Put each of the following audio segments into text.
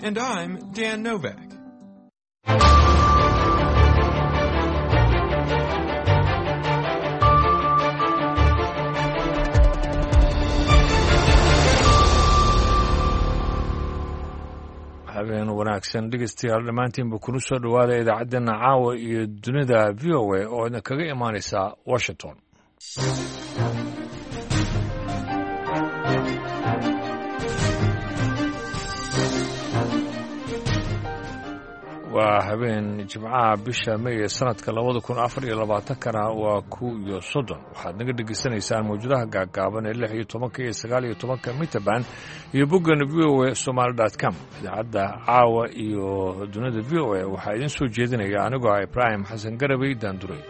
And I'm Dan Novak. Habeen wanaagsan dhegeystayaal dhammaantiinba, kuna soo dhowaada idaacaddeenna caawa iyo dunida VOA oo idin kaga imaanaysa Washington. Waa habeen Jimcaha, bisha May ee sanadka 2024-kana waa 31. Waxaad naga dhegeysanaysaan mawjadaha gaaggaaban ee 16-ka iyo 19-ka mitaban iyo boggan voasomali.com. Idaacadda caawa iyo dunida VOA waxaa idiin soo jeedinaya anigoo ah Ibraahim Xasan Garabey Daanduray.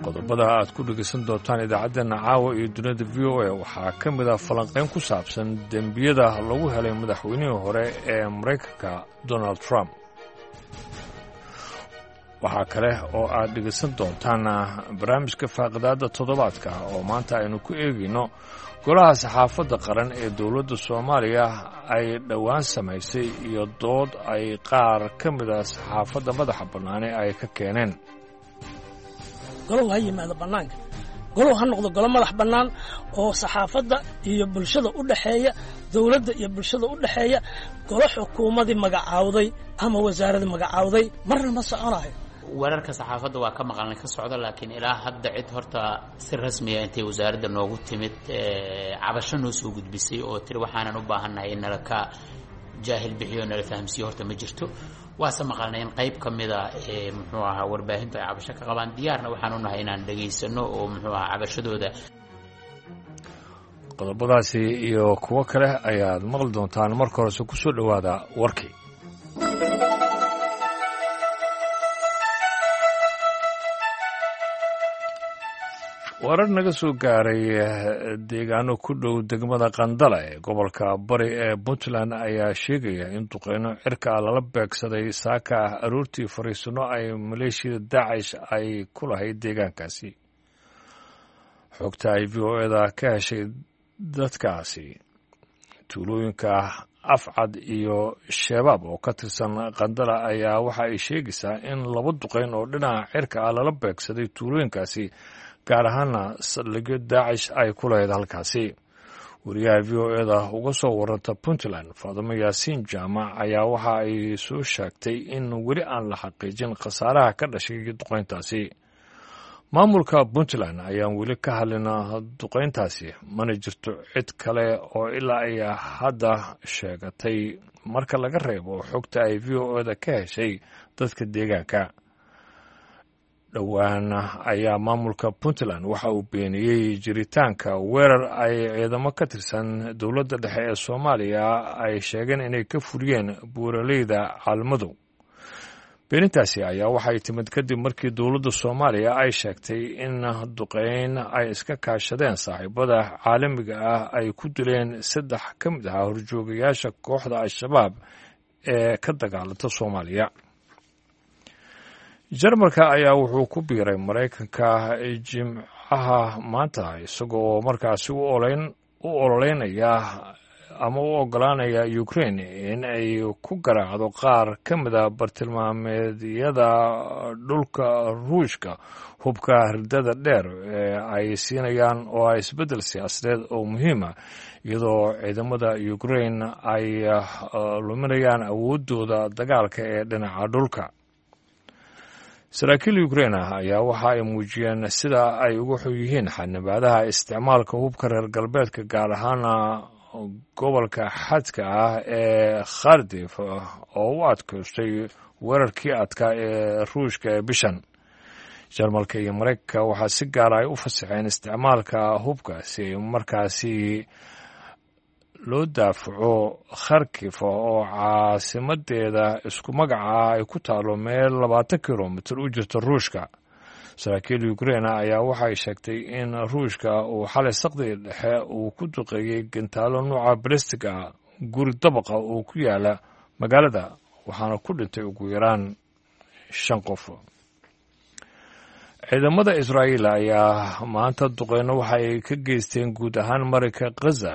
Qodobada aad ku dhegeysan doontaan idaacaddeenna caawa iyo dunida VOA waxaa ka mid ah falanqayn ku saabsan dembiyada lagu helay madaxweynihii hore ee Maraykanka Donald Trump. Waxaa kale oo aad dhegeysan doontaan barnaamijka faaqidaadda toddobaadka oo maanta aynu ku eegayno golaha saxaafadda qaran ee dowladda Soomaaliya ay dhowaan samaysay iyo dood ay qaar ka mid a saxaafadda madaxa bannaane ay ka keeneen. Golow ha yimaado bannaanka, golow ha noqdo golo madax bannaan oo saxaafadda iyo bulshada u dhexeeya, dowladda iyo bulshada u dhexeeya. Golo xukuumadii magacaawday ama wasaaradii magacaawday marna ma soconayo. Wararka saxaafadda waa ka maqalnay ka socda, laakiin ilaa hadda cid horta si rasmiya intay wasaaradda noogu timid cabasho noo soo gudbisay oo tiri waxaanan u baahannahay in nala ka jaahil bixiyo, nala fahamsiiyo, horta ma jirto. Waase maqalnay in qayb ka mida muxuu ahaa warbaahintu ay cabasho ka qabaan. Diyaarna waxaan u nahay inaan dhegaysano oo muxuu ahaa cabashadooda. Qodobadaasi iyo kuwo kale ayaad maqli doontaan. Marka horese ku soo dhowaada warkii. Warar naga soo gaaray deegaano ku dhow degmada Qandala ee gobolka Bari ee Puntland ayaa sheegaya in duqeyno cirka lala beegsaday saaka ah aroortii fariisano ay maleeshiyada Daacish ay ku lahayd deegaankaasi. Xogta ay VOA-da ka heshay dadkaasi tuulooyinka Afcad iyo Shabaab oo ka tirsan Qandala ayaa waxa ay sheegaysaa in laba duqeyn oo dhinaca cirka ah lala beegsaday tuulooyinkaasi, gaar ahaana saldhigyo Daacish ay ku lahayd halkaasi. Wariyaha VOA-da uga soo waranta Puntland, Faadimo Yaasiin Jaamac, ayaa waxa ay soo sheegtay in weli aan la xaqiijin khasaaraha ka dhashay duqeyntaasi. Maamulka Puntland ayaan weli ka hadlin duqeyntaasi, mana jirto cid kale oo ilaa ay hadda sheegatay marka laga reebo xogta ay VOA-da ka heshay dadka deegaanka. Dhowaan ayaa maamulka Puntland waxa uu beeniyey jiritaanka weerar ay ciidamo ka tirsan dowladda dhexe ee Soomaaliya ay sheegeen inay ka furiyeen buuraleyda Caalmadow. Beenintaasi ayaa waxay timid kadib markii dowladda Soomaaliya ay sheegtay in duqeyn ay iska kaashadeen saaxiibada caalamiga ah ay ku dileen saddex ka mid ahaa horjoogayaasha kooxda Al-Shabaab ee ka dagaalanta Soomaaliya. Jarmalka ayaa wuxuu ku biiray Maraykanka Jimcaha maanta, isagoo markaasi u ololeynaya ama u ogolaanaya Ukraine in ay ku garaacdo qaar ka mida bartilmaameedyada dhulka Ruushka hubka ridada dheer ee ay siinayaan, oo ah isbeddel siyaasadeed oo muhiima, iyadoo ciidamada Ukraine ay luminayaan awooddooda dagaalka ee dhinaca dhulka. Saraakiil Ukrain ah ayaa waxa ay muujiyeen sida ay uga xun yihiin xanibaadaha isticmaalka hubka reer galbeedka, gaar ahaana gobolka xadka ah ee Khardif oo u adkaystay weerarkii adkaa ee Ruushka ee bishan. Jarmalka iyo Maraykanka waxaa si gaara ay u fasaxeen isticmaalka hubka si markaasi loo daafaco Kharkif oo caasimadeeda isku magaca ay ku taalo meel 20 kilomitir u jirta Ruushka. Saraakiil Ukraina ayaa waxay sheegtay in Ruushka uu xalay saqdii dhexe uu ku duqeeyey gantaalo nuuca balestig ah guri dabaqa oo ku yaala magaalada, waxaana ku dhintay ugu yaraan shan qof. Ciidamada Israa'iil ayaa maanta duqeyno waxa ay ka geysteen guud ahaan marinka Khaza,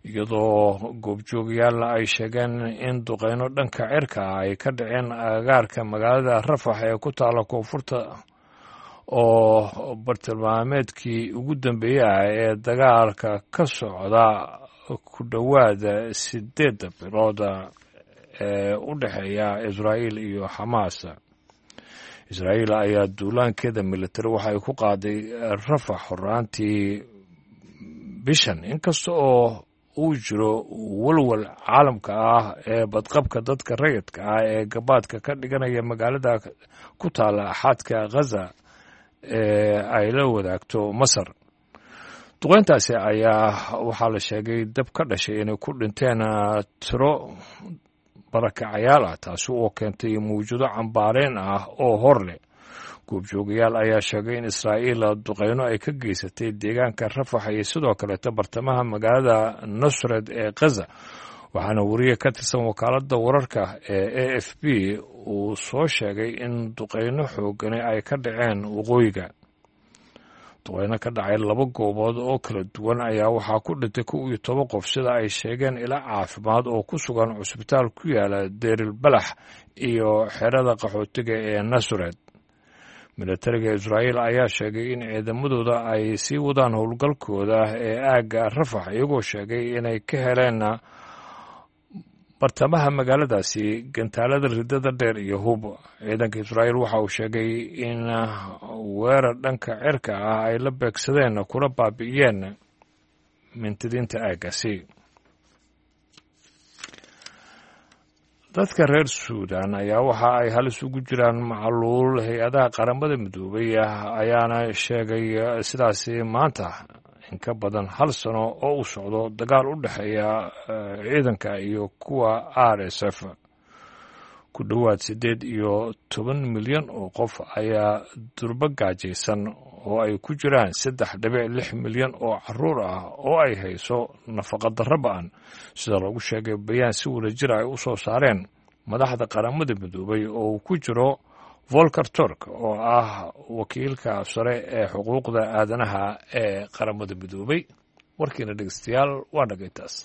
iyadoo goobjoogayaalna ay sheegeen in duqeyno dhanka cirka ah ay ka dhaceen agagaarka magaalada Rafax ee ku taala koonfurta, oo bartilmaameedkii ugu dambeeyey ah ee dagaalka ka socda ku dhowaada 8 bilood ee u dhexeeya Israa'iil iyo Xamaas. Israa'iil ayaa duulaankeeda militari waxa ay ku qaaday Rafax horaantii bishan, inkasta oo uu jiro walwal caalamka ah ee badqabka dadka rayidka ah ee gabaadka ka dhiganaya magaalada ku taala xadka Khaza ee ay la wadaagto Masar. Duqeyntaasi ayaa waxaa la sheegay dab ka dhashay inay ku dhinteen tiro barakacayaal ah, taasi oo keentay mawjado cambaareen ah oo hor leh. Goobjoogayaal ayaa sheegay in Israa'iil duqeyno ay ka geysatay deegaanka Rafax iyo sidoo kaleeta bartamaha magaalada Nusred ee Khaza, waxaana wariye ka tirsan wakaaladda wararka ee AFP uu soo sheegay in duqeyno xoogani ay ka dhaceen waqooyiga. Duqeyno ka dhacay laba goobood oo kala duwan ayaa waxaa ku dhintay 11 qof, sida ay sheegeen ila caafimaad oo ku sugan cusbitaal ku yaala Deeril Balax iyo xerada qaxootiga ee Nasured. Militariga Israa'iil ayaa sheegay in ciidamadooda ay sii wadaan howlgalkooda ee aagga Rafax, iyagoo sheegay inay ka heleen bartamaha magaaladaasi gantaalada ridada dheer iyo hub. Ciidanka Israa'iil waxa uu sheegay in weerar dhanka cirka ah ay la beegsadeen kuna baabi'iyeen mintidiinta aaggaasi. Dadka reer Suudan ayaa waxa ay halis ugu jiraan macluul, hay-adaha Qaramada Midoobay ayaana sheegay sidaasi maanta, in ka badan hal sano oo uu socdo dagaal u dhexeeya ciidanka iyo kuwa RSF. Ku dhowaad 18 milyan oo qof ayaa durbo gaajaysan, oo ay ku jiraan 3.6 milyan oo caruur ah oo ay hayso nafaqa darro ba'an, sida lagu sheegay bayaan si wadajir ay u soo saareen madaxda Qaramada Midoobay oo uu ku jiro Volker Turk oo ah wakiilka sare ee xuquuqda aadanaha ee Qaramada Midoobay. Warkiina dhegeystayaal waa dhagaytaas.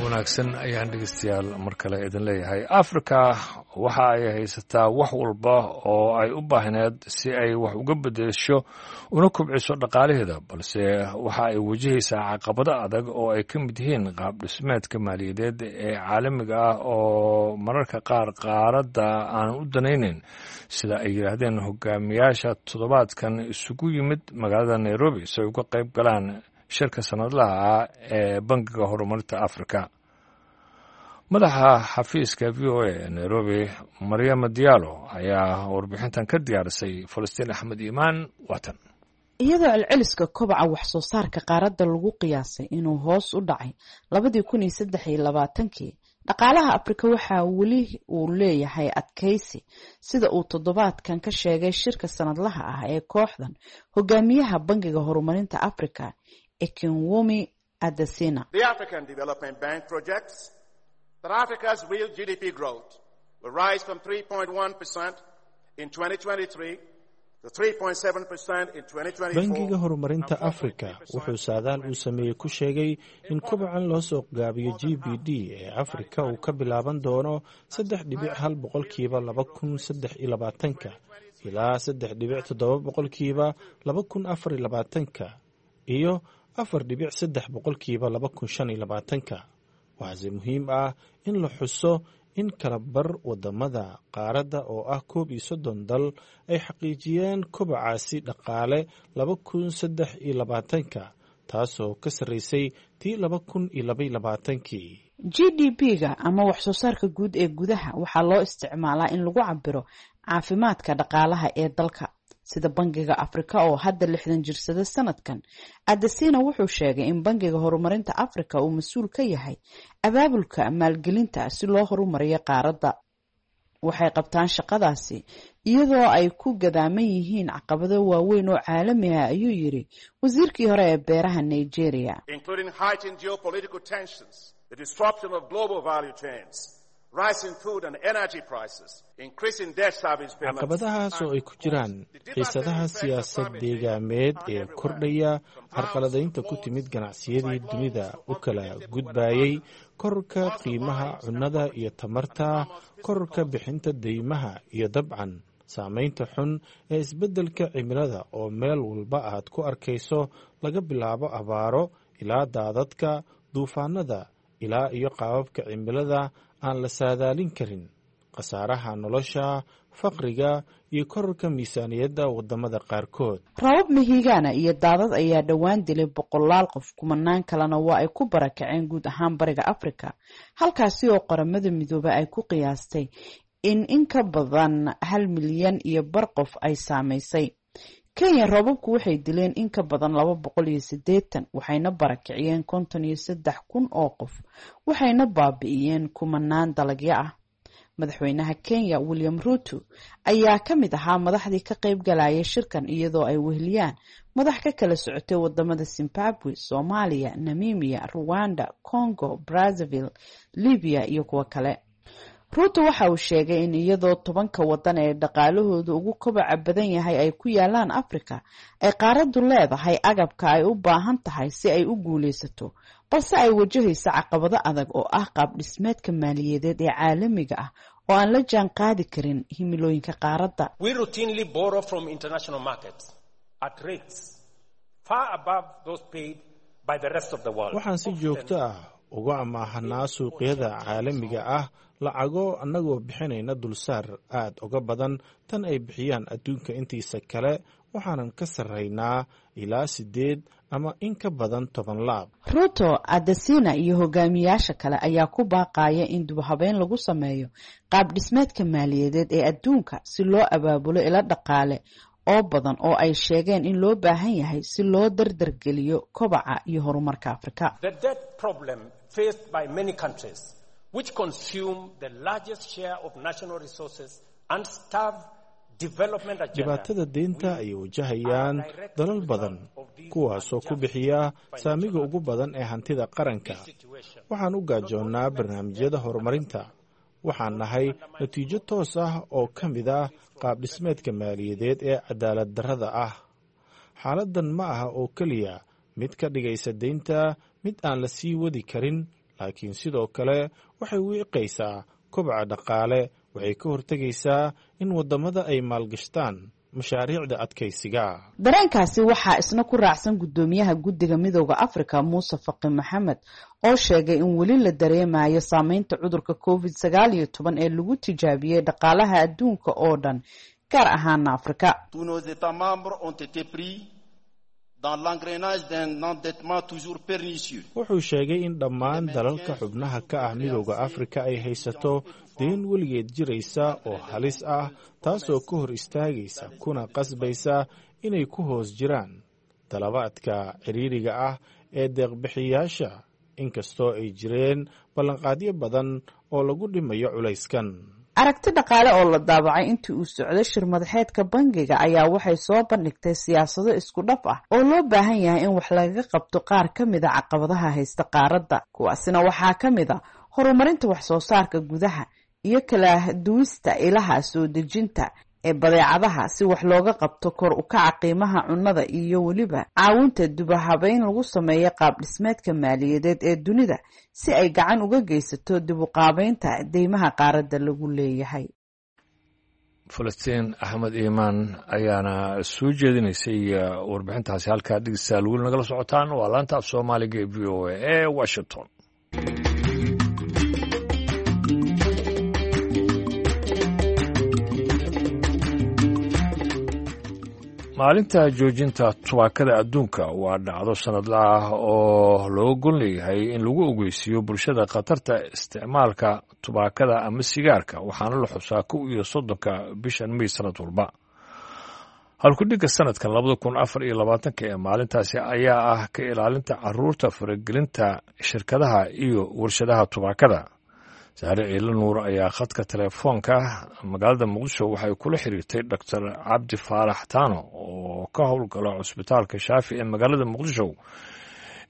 Wanaagsan ayaan dhegeystayaal mar kale idin leeyahay. Afrika waxa ay haysataa wax walba oo ay u baahneed si ay wax uga bedesho una kobciso dhaqaalaheeda, balse waxa ay wajahaysaa caqabado adag oo ay ka mid yihiin qaab dhismeedka maaliyadeed ee caalamiga ah oo mararka qaar qaaradda aanan u danaynayn, sida ay yidhaahdeen hogaamiyaasha toddobaadkan isugu yimid magaalada Nairobi si ay uga qayb galaan shirka sanadlaha ah ee Bangiga Horumarinta Afrika. Madaxa xafiiska VOA ee Nairobi, Maryama Diallo, ayaa warbixintan ka diyaarisay. Falastiin Axmed Iimaan waatan. Iyadoo celceliska kobaca wax soo saarka qaaradda lagu qiyaasay inuu hoos u dhacay 2023-kii, dhaqaalaha Afrika waxaa weli uu leeyahay adkeysi, sida uu toddobaadkan ka sheegay shirka sanadlaha ah ee kooxdan hogaamiyaha Bangiga Horumarinta Afrika, Akinwumi Adesina. The African Development Bank projects that Africa's real GDP growth will rise from 3.1% in 2023 to 3.7% in 2024. Bangiga Horumarinta Afrika wuxuu saadaal uu sameeyey ku sheegay in kobacan loo soo gaabiyo GDP ee Afrika uu ka bilaaban doono 3.1% 2023-ka ilaa 3.7% 2024-ka iyo 4.3% 2025-ka. Waxaase muhiim ah in la xuso in kala bar wadamada qaaradda oo ah 31 dal ay xaqiijiyeen kobacaasi dhaqaale 2023-ka, taasoo ka sarreysay tii 2022-kii. GDP-ga ama wax soo saarka guud ee gudaha waxaa loo isticmaalaa in lagu cabiro caafimaadka dhaqaalaha ee dalka, sida Bangiga Afrika oo hadda 60 jirsada sanadkan. Adesina wuxuu sheegay in Bangiga Horumarinta Afrika uu mas-uul ka yahay abaabulka maalgelinta si loo horumariyo qaaradda. Waxay qabtaan shaqadaasi iyadoo ay ku gadaaman yihiin caqabado waaweyn oo caalami ah, ayuu yidhi wasiirkii hore ee beeraha Nigeria. Including heightened geopolitical tensions, the disruption of global value chains, rising food and energy prices, increasing debt service payments. Caqabadahaas oo ay ku jiraan xiisadaha siyaasad deegaameed ee kordhaya, carqaladaynta ku timid ganacsiyadii dunida u kala gudbayay, kororka qiimaha cunnada iyo tamarta, kororka bixinta deymaha iyo dabcan saamaynta xun ee isbeddelka cimilada oo meel walba aad ku arkayso, laga bilaabo abaaro ilaa daadadka, duufaanada ilaa iyo qaababka cimilada aan la saadaalin karin, khasaaraha nolosha, faqriga iyo kororka miisaaniyadda waddamada qaarkood. Rabab mahiigaana iyo daadad ayaa dhowaan dilay boqolaal qof, kumanaan kalena waa ay ku barakaceen guud ahaan bariga Afrika, halkaasi oo Qaramada Midoobay ay ku qiyaastay in ka badan 1.5 milyan qof ay saamaysay. Kenya roobabku waxay dileen in ka badan 280, waxayna barakiciyeen 53,000 oo qof, waxayna baabi'iyeen kumanaan dalagyo ah. Madaxweynaha Kenya William Ruto ayaa ka mid ahaa madaxdii ka qayb galaya shirkan, iyadoo ay weheliyaan madax ka kala socotay wadamada Zimbabwe, Soomaaliya, Namibia, Ruwanda, Congo Brazzaville, Libiya iyo kuwo kale. Ruto waxa uu sheegay in iyadoo 10-ka wadan ee dhaqaalahooda ugu kobaca badan yahay ay ku yaalaan Afrika, ay qaaraddu leedahay agabka ay u baahan tahay si ay u guuleysato, balse ay wajahayso caqabado adag oo ah qaab dhismeedka maaliyadeed ee caalamiga ah oo aan la jaan qaadi karin himilooyinka qaaradda. We routinely borrow from international markets at rates far above those paid by the rest of the world. Waxaan si joogto ah uga amaahanaa suuqyada caalamiga ah lacago, annagoo bixinayna dulsaar aad uga badan tan ay bixiyaan adduunka intiisa kale. Waxaanan ka sarraynaa ilaa 8 ama in ka badan 10 laab. Ruto, Adesina iyo hogaamiyaasha kale ayaa ku baaqaya in dubhabeyn lagu sameeyo qaab dhismeedka maaliyadeed ee adduunka si loo abaabulo ilo dhaqaale oo badan oo ay sheegeen in loo baahan yahay si loo dardargeliyo kobaca iyo horumarka Afrika. The debt problem faced by many countries, which consume the largest share of national resources and starve development agenda. Dhibaatada deynta ay wajahayaan dalal badan, kuwaasoo ku bixiya saamiga ugu badan ee hantida qaranka, waxaan u gaajoonnaa barnaamijyada horumarinta. Waxaan nahay natiijo toos ah oo ka mid ah qaab dhismeedka maaliyadeed ee cadaalad darrada ah. Xaaladdan ma aha oo keliya mid ka dhigaysa deynta mid aan la sii wadi karin, laakiin sidoo kale waxay wiiqaysaa kobaca dhaqaale, waxay ka hortegaysaa in waddamada ay maalgashtaan mashaariicda adkaysiga. Dareenkaasi waxaa isna ku raacsan guddoomiyaha guddiga Midooda Afrika Muuse Faqi Maxamed, oo sheegay in weli la dareemayo saameynta cudurka COVID-19 ee lagu tijaabiyey dhaqaalaha adduunka oo dhan, gaar ahaana Afrika. Tous nos États membres ont été pris dans l'engrenage d'un endettement toujours pernicieux. Wuxuu sheegay in dhammaan dalalka xubnaha ka ah Midooda Afrika ay haysato deyn weligeed jiraysa oo halis ah, taasoo ka hor istaagaysa kuna qasbaysa inay ku hoos jiraan dalabaadka ciriiriga ah ee deeqbixiyaasha, inkastoo ay jireen ballanqaadyo badan oo lagu dhimayo culayskan. Aragti dhaqaale oo la daabacay intii uu socday shir madaxeedka bangiga ayaa waxay soo bandhigtay siyaasado isku dhaf ah oo loo baahan yahay in wax lagaga qabto qaar ka mid a caqabadaha haysta qaaradda. Kuwaasina waxaa ka mid a horumarinta wax soo saarka gudaha iyo kala duwista ilaha soo dejinta ee badeecadaha si wax looga qabto kor u kaca qiimaha cunnada, iyo weliba caawinta dubahabeyn lagu sameeyo qaab dhismeedka maaliyadeed ee dunida si ay gacan uga geysato dib u qaabeynta deymaha qaaradda lagu leeyahay. Falastiin Axmed Iimaan ayaana soo jeedinaysay warbixintaasi. Halkaa dhegeystayaal weli nagala socotaan waa laanta af Soomaaliga ee VOA ee Washington. Maalinta joojinta tubaakada adduunka waa dhacdo sanadla ah oo looga gol leeyahay in lagu ogeysiiyo bulshada khatarta isticmaalka tubaakada ama sigaarka, waxaana la xusaa 31-ka bishan May sanad walba. Halkudhigga sanadkan 2024-ka ee maalintaasi ayaa ah ka ilaalinta caruurta faragelinta shirkadaha iyo warshadaha tubaakada. Saare Ciilo Nuur ayaa khadka telefoonka magaalada Muqdisho waxay kula xiriirtay Doctor Cabdi Faarax Taano oo ka howlgala cusbitaalka Shaafi ee magaalada Muqdisho,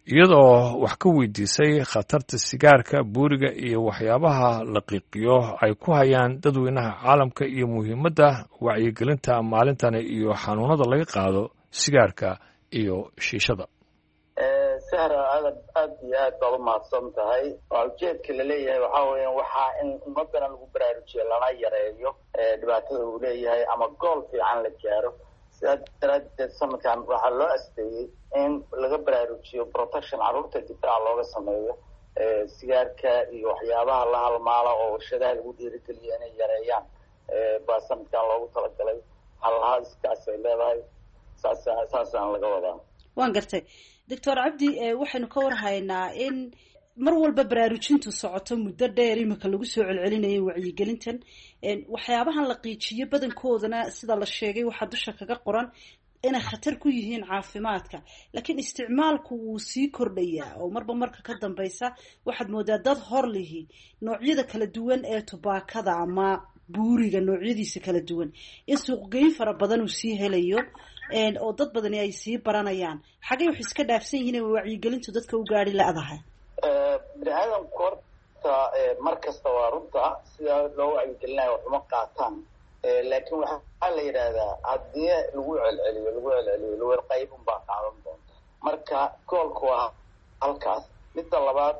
iyadoo wax ka weydiisay khatarta sigaarka, buuriga iyo waxyaabaha la qiiqiyo ay ku hayaan dadweynaha caalamka iyo muhiimadda wacyigelinta maalintani iyo xanuunada laga qaado sigaarka iyo shiishada. Sahra, aad aad iyo aad baad umahadsan tahay. Waa ujeedka laleeyahay waxaa weeyaan waxaa in ummadana lagu baraarujiyo lana yareeyo dhibaatada uu leeyahay ama gool fiican la gaaro. Sidaa daraadeed sanadkan waxaa loo asteeyey in laga baraarujiyo protection carruurta, difaaca looga sameeyo sigaarka iyo waxyaabaha la halmaala oo warshadaha lagu dhiirigeliyo inay yareeyaan baa sanadkan loogu talagalay. Halhaaskaas ay leedahay, saas saasaan laga wadaa. Waan gartay, Doctor Cabdi. Waxaynu ka warhaynaa in mar walba baraarujintu socoto, muddo dheer imika lagu soo celcelinayay wacyigelintan. Waxyaabahan la qiijiyo badankoodana, sida la sheegay, waxaa dusha kaga qoran inay khatar ku yihiin caafimaadka, laakiin isticmaalku wuu sii kordhayaa oo marba marka ka dambeysa waxaad moodaa dad hor lihi noocyada kala duwan ee tubaakada ama buuriga noocyadiisa kala duwan in suuqgeyn fara badan uu sii helayo oo dad badani ay sii baranayaan. Xagay wax iska dhaafsan yihiin wacyigelintu dadka u gaari la-dahay? Bini aadamku horta mar kasta waa runta sidaa loo wacyigelinayo waxuma qaataan, laakiin waxaa la yidhaahdaa haddii lagu celceliyo, lagu celceliyo, lagu qayb unbaa qaadan doonta. Marka goolku waa halkaas. Midda labaad,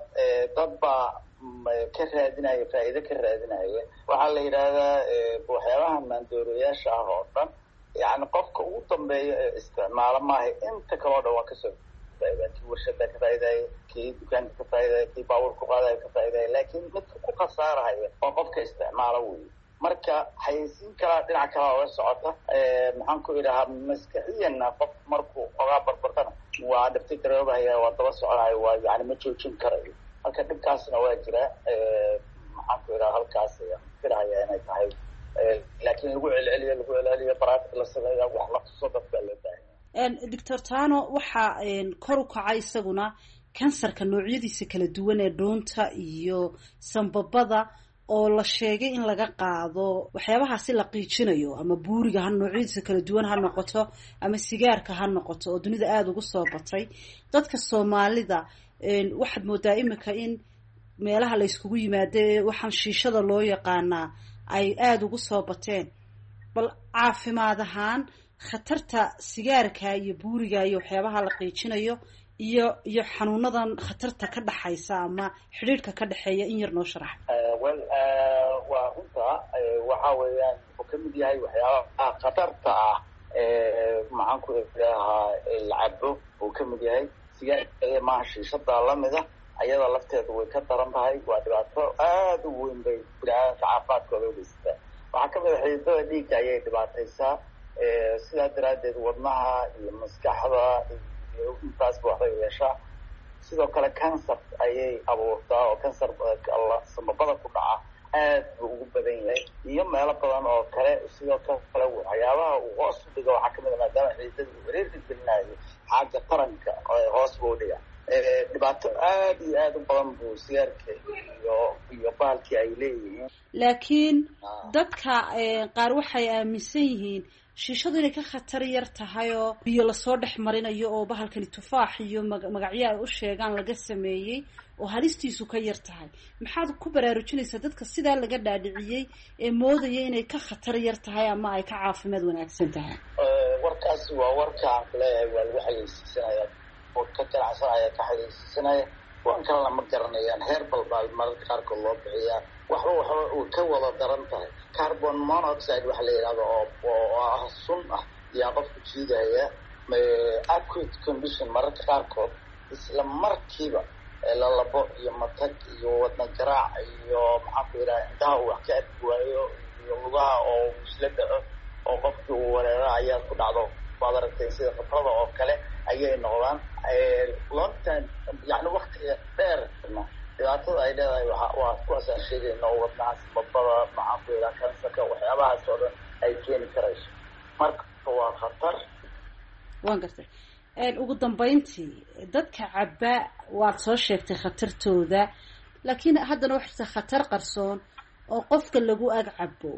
dad baa ka raadinaya faa'iido ka raadinaya. Waxaa la yidhaahdaa waxyaabaha maandooreyaasha ah oo dhan, yani qofka ugu dambeeya ee isticmaalo maaha, inta kaleo dhan waa kasoo faaida. Kii warshada ka faaidaya, kii dukaanka ka faaidaya, kii baabuur ku qaadaya ka faaidaya, laakiin midka ku khasaarahaya waa qofka isticmaalo wey. Marka xayeysiin kalaa dhinac kalaa oga socota, maxaan ku idhahaa, maskaxiyanna qof markuu xogaa barbartana waa dhibti garoobahaya, waa daba soconaya, waa yani ma joojin karayo. Marka dhibkaasna waa jira. Maxaan ku idhaha, halkaas ayaan filahaya inay tahay, laakiin lagu celceliyo, lagu celceliyo, baraatik la sameeya, wax la tuso dadka loo baahanya. Doctor Tano, waxaa kor u kacay isaguna kansarka noocyadiisa kala duwan ee dhuunta iyo sambabada oo la sheegay in laga qaado waxyaabahaasi la qiijinayo, ama buuriga ha noocyadiisa kala duwan ha noqoto ama sigaarka ha noqoto, oo dunida aada ugu soo batay. Dadka Soomaalida waxaad moodaa imika in meelaha la yskugu yimaado ee waxaan shiishada loo yaqaanaa ay aada ugu soo bateen. Bal caafimaad ahaan khatarta sigaarka iyo buuriga iyo waxyaabaha la qiijinayo iyo xanuunadan khatarta ka dhaxaysa ama xidhiidhka ka dhexeeya in yar noo sharax. Well, waa runta. Waxa weeyaan wuxuu kamid yahay waxyaabaha khatarta ah, maxaan ku idhahaa, lacabo uu kamid yahay. Sigaarka maaha, shiishadaa lamida, ayada lafteedu way ka daran tahay. Waa dhibaato aada u weyn bay biniaadamka caafimaadkooda ugeysataa. Waxaa kamid a xididada dhiigga ayay dhibaataysaa, sidaa daraaddeed wadnaha iyo maskaxda iyo intaasba waxbay yeeshaa. Sidoo kale cancer ayay abuurtaa, oo cancer samabada ku dhaca aad buu ugu badan yahay iyo meelo badan oo kale. Sidoo kale waxyaabaha uu hoos u dhigo waxaa kamid a, maadaama xididada uu ciriirka gelinayo xagga taranka, hoos buu udhiga. Dhibaato aada iyo aada u badan buu sigaarka iyo bahalkii ay leeyihiin. Laakiin dadka qaar waxay aaminsan yihiin shiishadu inay ka khatar yar tahay oo biyo lasoo dhex marinayo oo bahalkani tufaax iyo magacyo ay u sheegaan laga sameeyey oo halistiisu ka yar tahay. Maxaad ku baraarujinaysaa dadka sidaa laga dhaadhiciyey ee moodaya inay ka khatar yar tahay ama ay ka caafimaad wanaagsan tahay? Warkaasi waa warka aan kuleeyahay waa lagu xayeysiisanaya oo ka ganacsanaya, ka xayeysiisanaya. Kuwan kalena ma garanayaan. Herbal baa mararka qaarkood loo bixiyaa. Waxba uu ka wada daran tahay. Carbon monoxide waxa la yidhahdo oo ah sun ah yaa qofku jiidaya. Acute condition mararka qaarkood isla markiiba lalabo iyo matag iyo wadna garaac iyo maxaan ku yidhaha, indhaha uu wax ka arki waayo iyo lugaha oo isla dhaco oo qofkii uu wareero ayaa ku dhacdo. Waad aragtay, sida khatarada oo kale ayay noqdaan long time, yani waktiga dheerna dhibaatada ay leedahay waa kuwaas aan sheegayno, oo wadnaha, sababada, maxaan ku yidhaha, kansarka, waxyaabahaas oo dhan ay keeni karayso. Marka waa khatar. Waan gartay. Ugu dambeyntii, dadka cabba waad soo sheegtay khatartooda, Laakiin haddana waxaa jirta khatar qarsoon oo qofka lagu ag cabo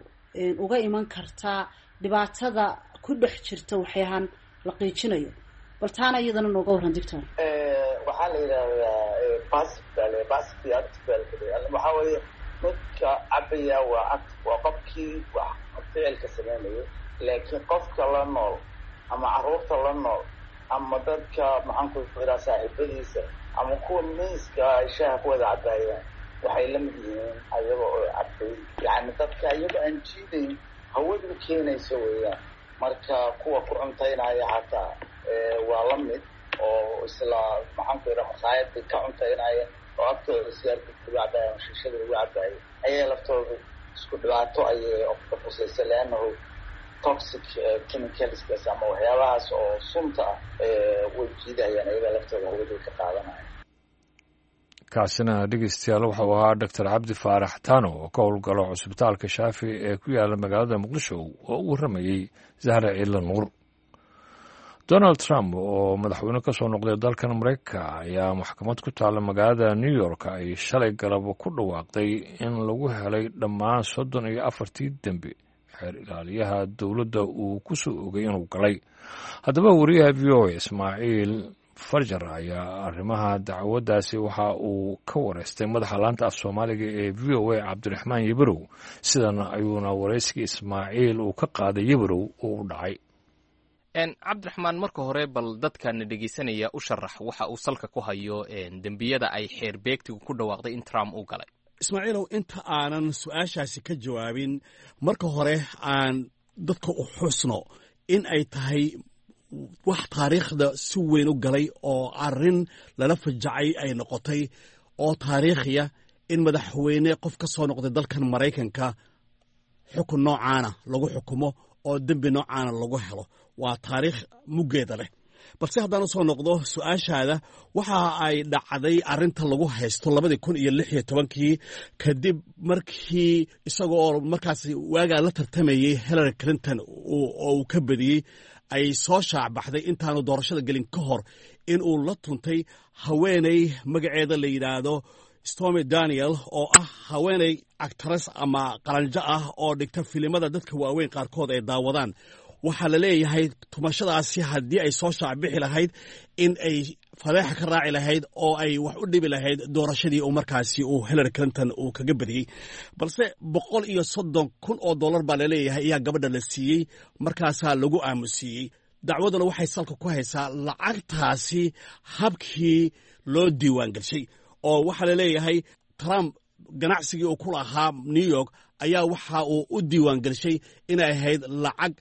uga iman kartaa dhibaatada ku dhex jirta waxyahan la qiijinayo. Bal taana iyadana nooga warran, doctor. Waxaa la yidhahdaa passive baa la passive iyo active baa la. Waxaa weeye midka cabaya waa active, waa qofkii wax ficilka sameynayo, laakiin qofka la nool ama carruurta la nool ama dadka, maxaan ku iraa, saaxiibadiisa ama kuwa miiska ay shaaha ku wada cabaayaan waxay la mid yihiin ayaga oo cabay. Yacni dadka iyaga aan jiidayn hawadu keenayso weeyaan. Marka kuwa ku cuntaynaya xataa waa la mid oo isla, maxaan ku iraa, makhaayadii ka cuntaynaya oo agtooda sigaarka lagu cabaayo ama shiishada lagu cabaayo ayaa laftooda isku dhibaato ayay qusaysa, leannahu toxic chemicalskaas ama waxyaabahaas oo sunta ah way jiidayaan, ayaga laftooda hawaday ka qaadanaya. Kaasina, dhegeystayaal, wuxuu ahaa Doctor Cabdi Faarax Tano oo ka howlgalo cusbitaalka Shaafi ee ku yaala magaalada Muqdisho oo u warramayey Zahra Ciidla Nuur. Donald Trump oo madaxweyne ka soo noqday dalkan Mareykanka ayaa maxkamad ku taalla magaalada New York ay shalay galab ku dhawaaqday in lagu helay dhammaan 34-tii dembi xeer ilaaliyaha dowladda uu ku soo ogay inuu galay. Haddaba wariyaha VOA Ismaaciil Farjar ayaa arrimaha dacwaddaasi waxa uu ka wareystay madaxa laanta af Soomaaliga ee VOA, Cabdiraxmaan Yebarow. Sidan ayuuna waraysigii Ismaaciil uu ka qaaday Yebarow uu u dhacay. Cabdiraxmaan, marka hore bal dadkana dhegeysanaya u sharax waxa uu salka ku hayo dembiyada ay xeer beegtigu ku dhawaaqday in Trump uu galay. Ismaaciilow, inta aanan su-aashaasi ka jawaabin, marka hore aan dadka u xusno in ay tahay wax taariikhda si weyn u galay oo arrin lala fajacay ay noqotay oo taariikhiya in madaxweyne qof ka soo noqday dalkan Maraykanka xukun noocaana lagu xukumo oo dembi noocaana lagu helo. Waa taariikh muggeeda leh. Balse haddaan u soo noqdo su-aashaada, waxa ay dhacday arrinta lagu haysto 2016-kii, kadib markii isagoo markaas waagaa la tartamayey Hillary Clinton oo uu ka badiyey, ay soo shaacbaxday intaanu doorashada gelin ka hor in uu la tuntay haweeney magaceeda la yidhaahdo Stormy Daniel, oo ah haweeney actress ama qalanjo ah oo dhigta filimada dadka waaweyn qaarkood ay daawadaan. Waxaa la leeyahay tumashadaasi haddii ay soo shaacbixi lahayd in ay fadeexa ka raaci lahayd oo ay wax u dhibi lahayd doorashadii uu markaasi uu Hillary Clinton uu kaga badiyey. Balse $130,000 baa laleeyahay ayaa gabadha la siiyey, markaasaa lagu aamusiiyey. Dacwaduna waxay salka ku haysaa lacagtaasi habkii loo diiwaan gelshay, oo waxaa la leeyahay Trump ganacsigii uu ku lahaa New York ayaa waxa uu u diiwaan gelshay inay ahayd lacag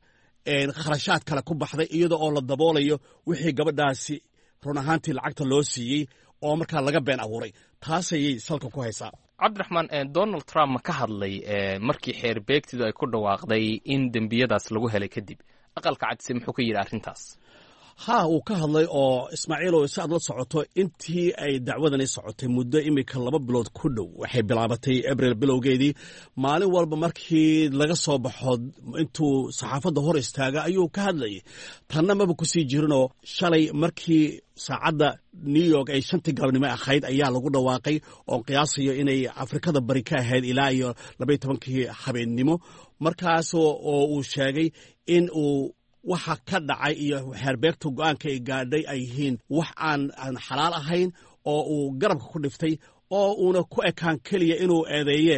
kharashaad kale ku baxday, iyada oo la daboolayo wixii gabadhaasi run ahaantii lacagta loo siiyey oo markaa laga been abuuray. Taasayay salka ku haysaa. Cabdiraxmaan, Donald Trump ma ka hadlay markii xeer beegtidu ay ku dhawaaqday in dembiyadaas lagu helay kadib? Aqalka Cadse muxuu ka yidhi arrintaas? Haa, uu ka hadlay. Oo Ismaaciilow, si aad la socoto, intii ay dacwadani socotay muddo iminka 2 bilood ku dhow, waxay bilaabatay Abril bilowgeedii, maalin walba markii laga soo baxo intuu saxaafadda hor istaaga ayuu ka hadlayay. Tanna maba kusii jirinoo shalay markii saacadda New York ay 5-tii galabnimo ahayd ayaa lagu dhawaaqay, oon qiyaasayo inay Afrikada Bari ka ahayd ilaa iyo 12-kii habeennimo, markaas oo uu sheegay in uu waxa ka dhacay iyo xeerbeegta go-aanka ay gaadhay ay yihiin wax aan xalaal ahayn, oo uu garabka ku dhiftay, oo uuna ku ekaan keliya inuu eedeeye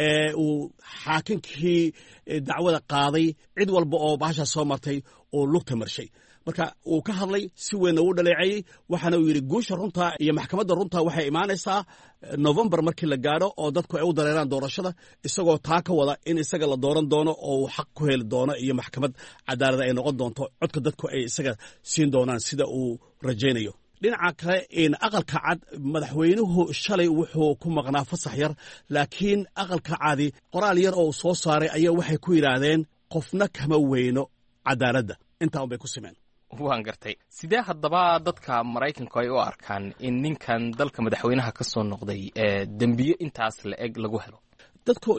ee uu xaakinkii dacwada qaaday, cid walba oo bahashaa soo martay uu lugta marshay. Marka uu ka hadlay, si weynna uu dhaleeceeyey, waxaana uu yidhi guusha runta iyo maxkamadda runta waxay imaanaysaa Novembar markii la gaadho oo dadku ay u dareeraan doorashada, isagoo taa ka wada in isaga la dooran doono oo uu xaq ku heli doono iyo maxkamad cadaalada ay noqon doonto, codka dadku ay isaga siin doonaan sida uu rajaynayo. Dhinaca kale, Aqalka Cad madaxweynuhu shalay wuxuu ku maqnaa fasax yar, laakiin Aqalka Cadi qoraal yar oo uu soo saaray ayaa waxay ku yidhaahdeen qofna kama weyno cadaaladda. Intaa un bay ku simeen. Waan gartay. Sidee haddaba dadka Maraykanku ay u arkaan in ninkan dalka madaxweynaha ka soo noqday dembiyo intaas la eg lagu helo? Dadku,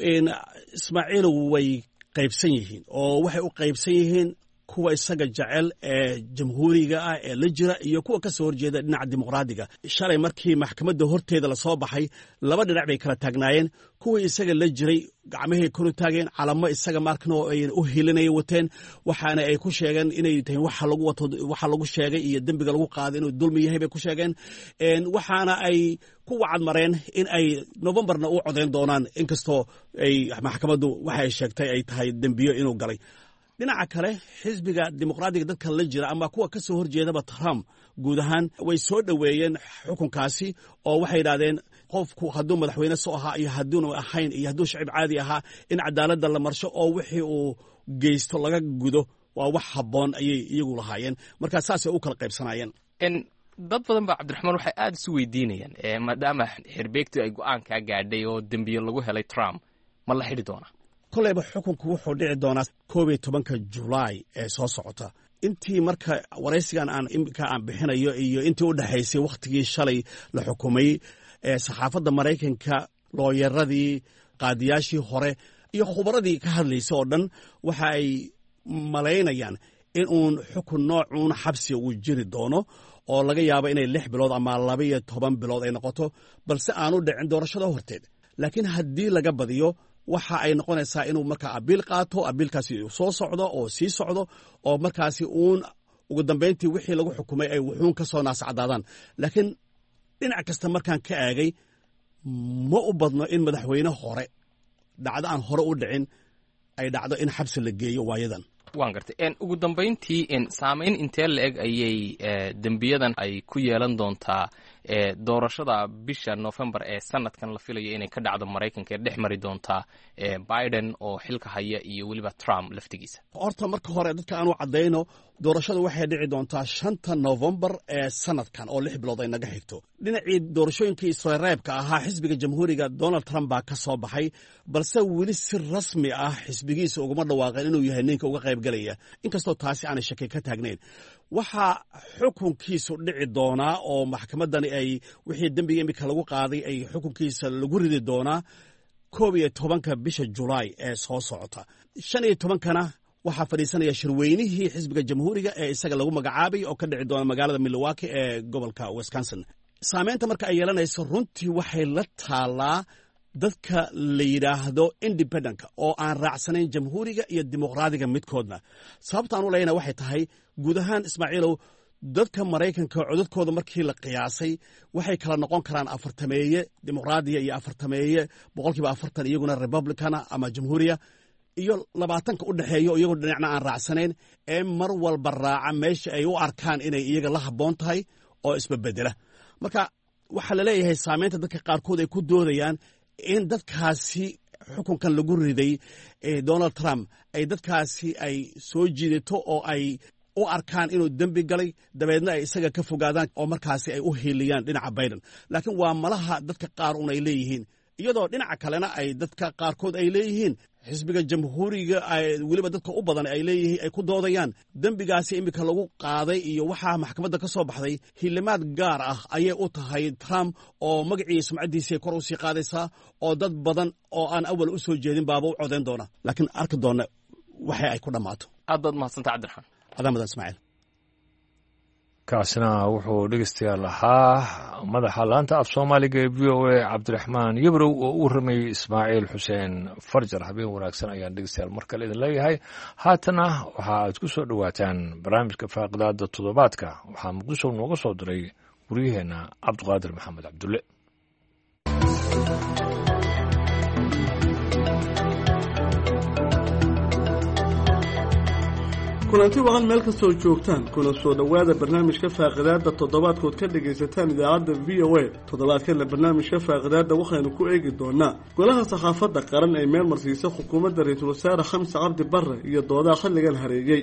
Ismaaciilow, way qaybsan yihiin, oo waxay u qaybsan yihiin Kuwa isaga jecel ee jamhuuriga ah ee la jira iyo kuwa ka soo horjeeda dhinaca dimuqraadiga. Shalay markii maxkamadda horteeda lasoo baxay, laba dhinac bay kala taagnaayeen. Kuwii isaga la jiray gacmahay kor u taageen, calamo isaga markan oo ay u hilinaya wateen, waxaana ay ku sheegeen inay tahay waxa lagu wato, waxa lagu sheegay iyo dembiga lagu qaaday inuu dulmi yahay bay ku sheegeen. Waxaana ay ku wacad mareen in ay Novembarna u codayn doonaan, inkastoo ay maxkamaddu waxa ay sheegtay ay tahay dembiyo inuu galay. Dhinaca kale, xisbiga dimuqraadiga dadka la jira ama kuwa ka soo horjeedaba Trump guud ahaan way soo dhoweeyeen xukunkaasi, oo waxay yidhahdeen qofku hadduu madaxweyne soo ahaa iyo hadduunu ahayn iyo hadduu shacib caadi ahaa, in cadaaladda la marsho oo wixii uu geysto laga gudo waa wax habboon ayay iyagu lahaayeen. Marka saasay u kala qaybsanaayeen. Dad badan ba, Cabdiraxmaan, waxay aada isu weydiinayaan, maadaama xerbeegtu ay go-aankaa gaadhay oo dembiye lagu helay Trump, ma la xidhi doonaa? Koleyba xukunku wuxuu dhici doonaa 11-ka Julaay ee soo socota. Intii marka waraysigan aan iminka aan bixinayo iyo intii u dhexaysay wakhtigii shalay la xukumay, saxaafadda Maraykanka, looyaradii, qaadiyaashii hore iyo khubaradii ka hadlaysa oo dhan waxa ay malaynayaan in uun xukun noocuun xabsiga uu jiri doono, oo laga yaabo inay 6 bilood ama 12 bilood ay noqoto, balse aanu dhicin doorashada horteed. Laakiin haddii laga badiyo, waxa ay noqonaysaa inuu markaa abiil qaato, abiilkaasi soo socdo oo sii socdo, oo markaasi uun ugu dambayntii wixii lagu xukumay ay wuxuun ka soo naascadaadaan. Laakiin dhinac kasta markaan ka eegay, ma u badno in madaxweyne hore dhacdo aan hore u dhicin ay dhacdo in xabsi la geeyo waayadan. Waan gartay. Ugu dambayntii, saameyn intee la eg ayay dembiyadan ay ku yeelan doontaa doorashada bisha November ee sanadkan la filayo inay ka dhacdo Maraykanka, ee dhex mari doontaa Biden oo xilka haya iyo weliba Trump laftigiisa? Horta marka hore dadka aanu caddayno, doorashadu waxay dhici doontaa 5-ta Novembar ee sanadkan, oo 6 bilood ay naga xigto. Dhinacii doorashooyinkii isreebka ahaa, xisbiga Jamhuuriga Donald Trump baa ka soo baxay, balse weli si rasmi ah xisbigiisa uguma dhawaaqeen inuu yahay ninka uga qaybgalaya, inkastoo taasi aanay shaki ka taagnayn. Waxaa xukunkiisu dhici doonaa oo maxkamaddani ay wixii dembiga imika lagu qaaday ay xukunkiisa lagu ridi doonaa 11-ka bisha Julaay ee soo socota. 15-kana waxaa fadhiisanaya shirweynihii xisbiga Jamhuuriga ee isaga lagu magacaabay oo ka dhici doona magaalada Milwaukee ee gobolka Wisconsin. Saameynta marka ay yeelanayso runtii waxay la taalaa dadka la yidhaahdo independentka oo aan raacsanayn Jamhuuriga iyo Dimuqraadiga midkoodna. Sababta aan u leyna waxay tahay, guud ahaan, Ismaaciilow, dadka Maraykanka codadkooda markii la qiyaasay waxay kala noqon karaan afartameeye dimuqraadiya iyo afartameeye, 40% iyaguna republicana ama jamhuuriya, iyo 20-ka u dhexeeyo iyagoo dhinacna aan raacsanayn ee mar walba raaca meesha ay u arkaan inay iyaga la habboon tahay oo isbabedela. Marka waxaa la leeyahay saameynta dadka qaarkood ay ku doodayaan in dadkaasi xukunkan lagu riday Donald Trump ay dadkaasi ay soo jiidato oo ay u arkaan inuu dembi galay, dabeedna ay isaga ka fogaadaan oo markaasi ay u hiiliyaan dhinaca Biden. Laakiin waa malaha dadka qaar un ay leeyihiin, iyadoo dhinaca kalena ay dadka qaarkood ay leeyihiin xisbiga Jamhuuriga weliba dadka u badan ay leeyihiin, ay ku doodayaan dembigaasi iminka lagu qaaday iyo waxaa maxkamadda ka soo baxday hilimaad gaar ah ayay u tahay Trump, oo magacii sumcaddiisay kor u sii qaadaysaa, oo dad badan oo aan awal u soo jeedin baaba u codayn doona. Laakiin arki doona waxa ay ku dhammaato. Aad baad mahadsanta, Cabdiraxmaan. Adaa mudan, Ismaaciil. Kaasina wuxuu dhegeystayaal ahaa madaxa laanta af Soomaaliga ee VOA, Cabdiraxmaan Yabrow, oo u waramayey Ismaaciil Xuseen Farjar. Habeen wanaagsan ayaan dhegeystayaal mar kale idin leeyahay. Haatana waxa aad ku soo dhowaataan barnaamijka faaqidaada toddobaadka. Waxaa Muqdisho nooga soo diray waryaheenna Cabdiqaadir Maxamed Cabdulle. Kulanti waqan meel kastoo joogtaan, kuna soo dhowaada barnaamijka faaqidaadda toddobaadkood ka dhagaysataan idaacadda VOA. Toddobaadkanna barnaamijka faaqidaadda waxaynu ku eegi doonaa golaha saxaafadda qaran ee meel marsiisa xukuumadda ra-iisul wasaare Xamse Cabdi Barre iyo doodaha xilligan hareeyey.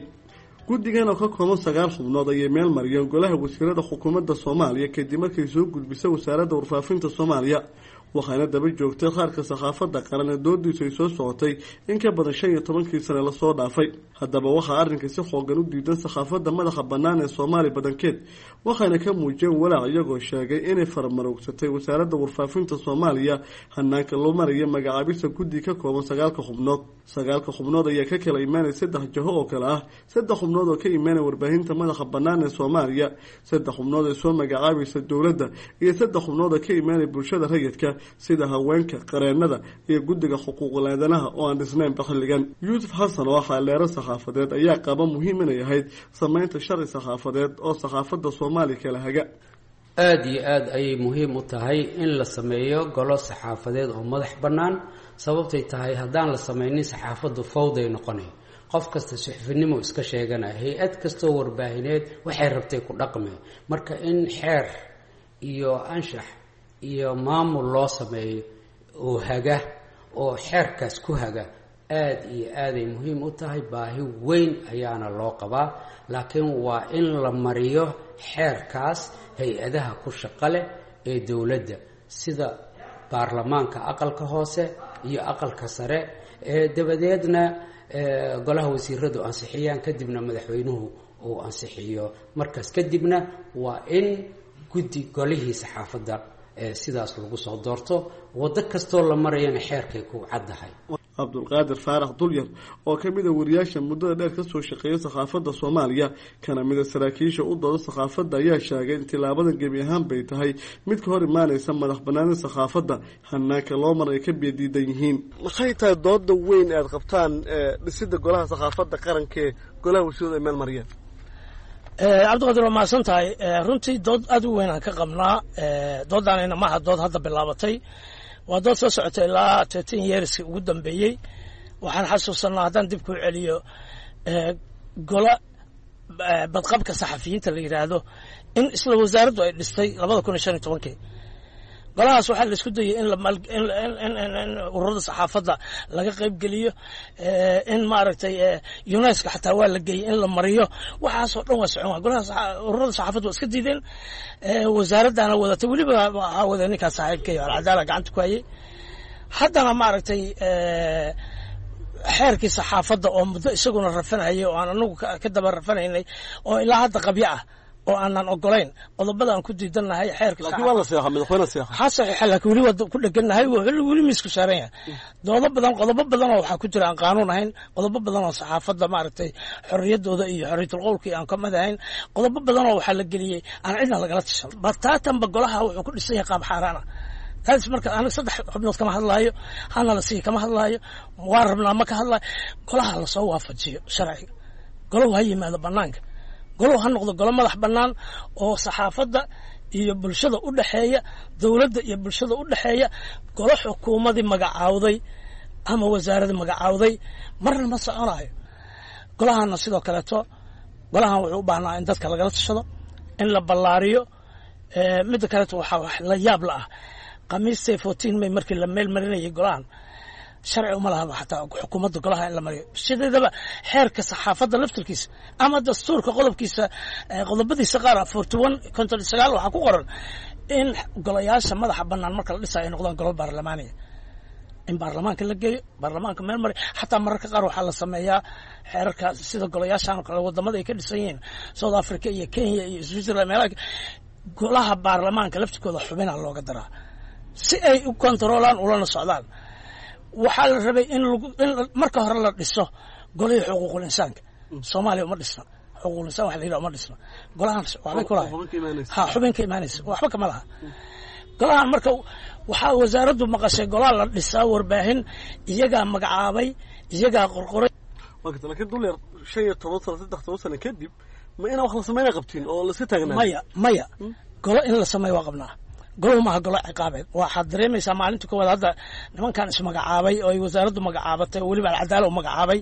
Guddigan oo ka kooban 9 xubnood ayay meel mariyeen golaha wasiirada xukuumadda Soomaaliya kadib markay soo gudbisay wasaaradda warfaafinta Soomaaliya. Waxaana daba joogtay qaarka saxaafadda qaran ee doodiisu ay soo socotay in ka badan 15kii sane lasoo dhaafay. Haddaba waxaa arrinka si xoogan u diidan saxaafadda madaxa bannaan ee Soomaaliya badankeed, waxayna ka muujiyeen walaac, iyagoo sheegay inay faramarogsatay wasaaradda warfaafinta Soomaaliya hanaanka loo maraya magacaabista guddi ka kooban 9ka xubnood. 9ka xubnood ayaa ka kala imaanaya 3 jaho oo kale ah: 3 xubnood oo ka imaanaya warbaahinta madaxa bannaan ee Soomaaliya, 3 xubnood ee soo magacaabaysa dowladda, iyo 3 xubnood oo ka imaanaya bulshada rayidka sida haweenka, qareennada iyo guddiga xuquuqul aadanaha oo aan dhisnaynba xilligan. Yuusuf Xasan oo ah xaaldheero saxaafadeed ayaa qaba muhiim inay ahayd samaynta sharci saxaafadeed oo saxaafadda Soomaaliya kala haga. Aada iyo aada ayay muhiim u tahay in la sameeyo golo saxaafadeed oo madax bannaan. Sababtay tahay, haddaan la sameynin saxaafaddu fawday noqonay, qof kasta suxufinimo iska sheeganaya, hay-ad kastoo warbaahineed waxay rabtay ku dhaqmay. Marka in xeer iyo anshax iyo maamul loo sameeyo oo haga, oo xeerkaas ku haga, aada iyo aaday muhiim u tahay. Baahi weyn ayaana loo qabaa, laakiin waa in la mariyo xeerkaas hay-adaha ku shaqo leh ee dowladda, sida baarlamaanka aqalka hoose iyo aqalka sare, ee dabadeedna golaha wasiiradu ansixiyaan, kadibna madaxweynuhu uu ansixiyo. Markaas kadibna waa in guddi golihii saxaafadda sidaas lagu soo doorto. Waddo kastoo la marayana xeerkay ku caddahay. Cabdulqaadir Faarax Dulyar oo ka mid a wariyaasha muddada dheer kasoo shaqeeya saxaafadda Soomaaliya, kana mid a saraakiisha u dooda saxaafadda, ayaa sheegay in tilaabadan gebi ahaan bay tahay mid ka hor imaaneysa madax banaanida saxaafadda, hanaanka loo mar ay ka biyadiidan yihiin. Maxay tahay dooda weyn aad qabtaan dhisida golaha saxaafadda qarankaee golaha wasiiradu ay meel mariyeen? Cabdiqaadir, waa mahadsan tahay. Runtii dood aada u weyn aan ka qabnaa. Doodaanayna maaha dood hadda bilaabatay, waa dood soo socotay ilaa 13 yearski ugu dambeeyey. Waxaan xasuusanaa, haddaan dib kuu celiyo, gola badqabka saxafiyiinta la yidhaahdo in isla wasaaraddu ay dhistay 2015kii. Golahaas waxaa la isku dayay in ururada saxaafadda laga qaybgeliyo, in maaragtay UNESCO xataa waa la geeyey in la mariyo. Waxaasoo dhan waa socon. Golaha ururada saxaafadda waa iska diideen, wasaaraddana wadatay, weliba waxaa waday ninkaas saaxiibkay Alcadaala gacanta ku hayay. Haddana maaragtay xeerkii saxaafadda oo muddo isaguna rafanayay oo aan anagu ka daba rafanaynay oo ilaa hadda qabyo ah oo aanan ogolayn, qodobada aan ku diidannahay xeerka Laakiin waa la seexa, madaxweyne seexa. Ha saxiixa, laakiin weli waa ku dhegannahay, weli miisku saaran yahay. Doodo badan, qodobo badan oo waxaa ku jira aan qaanuun ahayn, qodobo badan oo saxaafadda maaragtay xorriyaddooda iyo xorriyatul qowlkii aan ka mid ahayn, qodobo badan oo waxaa la geliyey aan cidna lagala tashan. Bataatanba golaha wuxuu ku dhisan yahay qaab xaaraan ah. Taas marka aniga 3 xubnood kama hadlaayo, hana la siiyo kama hadlaayo, waa rabnaa ma ka hadlaayo. Golaha lasoo waafajiyo sharciga, golahu ha yimaado banaanka, golahu ha noqdo golo madax bannaan oo saxaafadda iyo bulshada u dhexeeya, dowladda iyo bulshada u dhexeeya. Golo xukuumadii magacaawday ama wasaaradii magacaawday marna ma soconayo. Golahana sidoo kaleeto, golahan wuxuu u baahnaa in dadka lagala tashado, in la ballaariyo. Midda kaleeto, waxaa wax la yaab la ah, Khamiistay 14 May markii la meel marinayay golahan, sharci uma lahaba xataa xukuumadda golaha in la mariyo. Sideedaba xeerka saxaafadda laftirkiisa ama dastuurka qodobkiisa, qodobadiisa qaar 41, 59 waxaa ku qoran in golayaasha madaxa bannaan marka la dhisayo ay noqdaan golo baarlamaaniya, in baarlamaanka la geeyo, baarlamaanka meel mari. Xataa mararka qaar waxaa la sameeyaa xeerarka sida golayaashan oo kale wadamada ay ka dhisan yihiin, South Africa iyo Kenya iyo Switzerland, meelaha golaha baarlamaanka laftirkooda xubina looga daraa si ay u kontaroolaan ulana socdaan. Waxaa la rabay in marka hore la dhiso golihii xuquuqul insaanka. Soomaaliya uma dhisna xuquuqul insaan wax la yidhaha, uma dhisna. Golahan waxbay kulahay ha xubin ka imaanaysa, waxba kama laha golahan. Marka waxaa wasaaraddu maqashay golaa la dhisaa warbaahin, iyagaa magacaabay, iyagaa qorqoray. Laakiin Dulyar, 15 sano, 13 sano kadib, ma inaa wax la sameyna qabtiin oo laiska taagnaa? Maya, maya, golo in la sameeyo waa qabnaa. Goluhu maaha golo ciqaabeed. Waxaad dareemaysaa maalinta koowaad hadda nimankan ismagacaabay oo ay wasaaraddu magacaabatay oo weliba Alcadaala u magacaabay,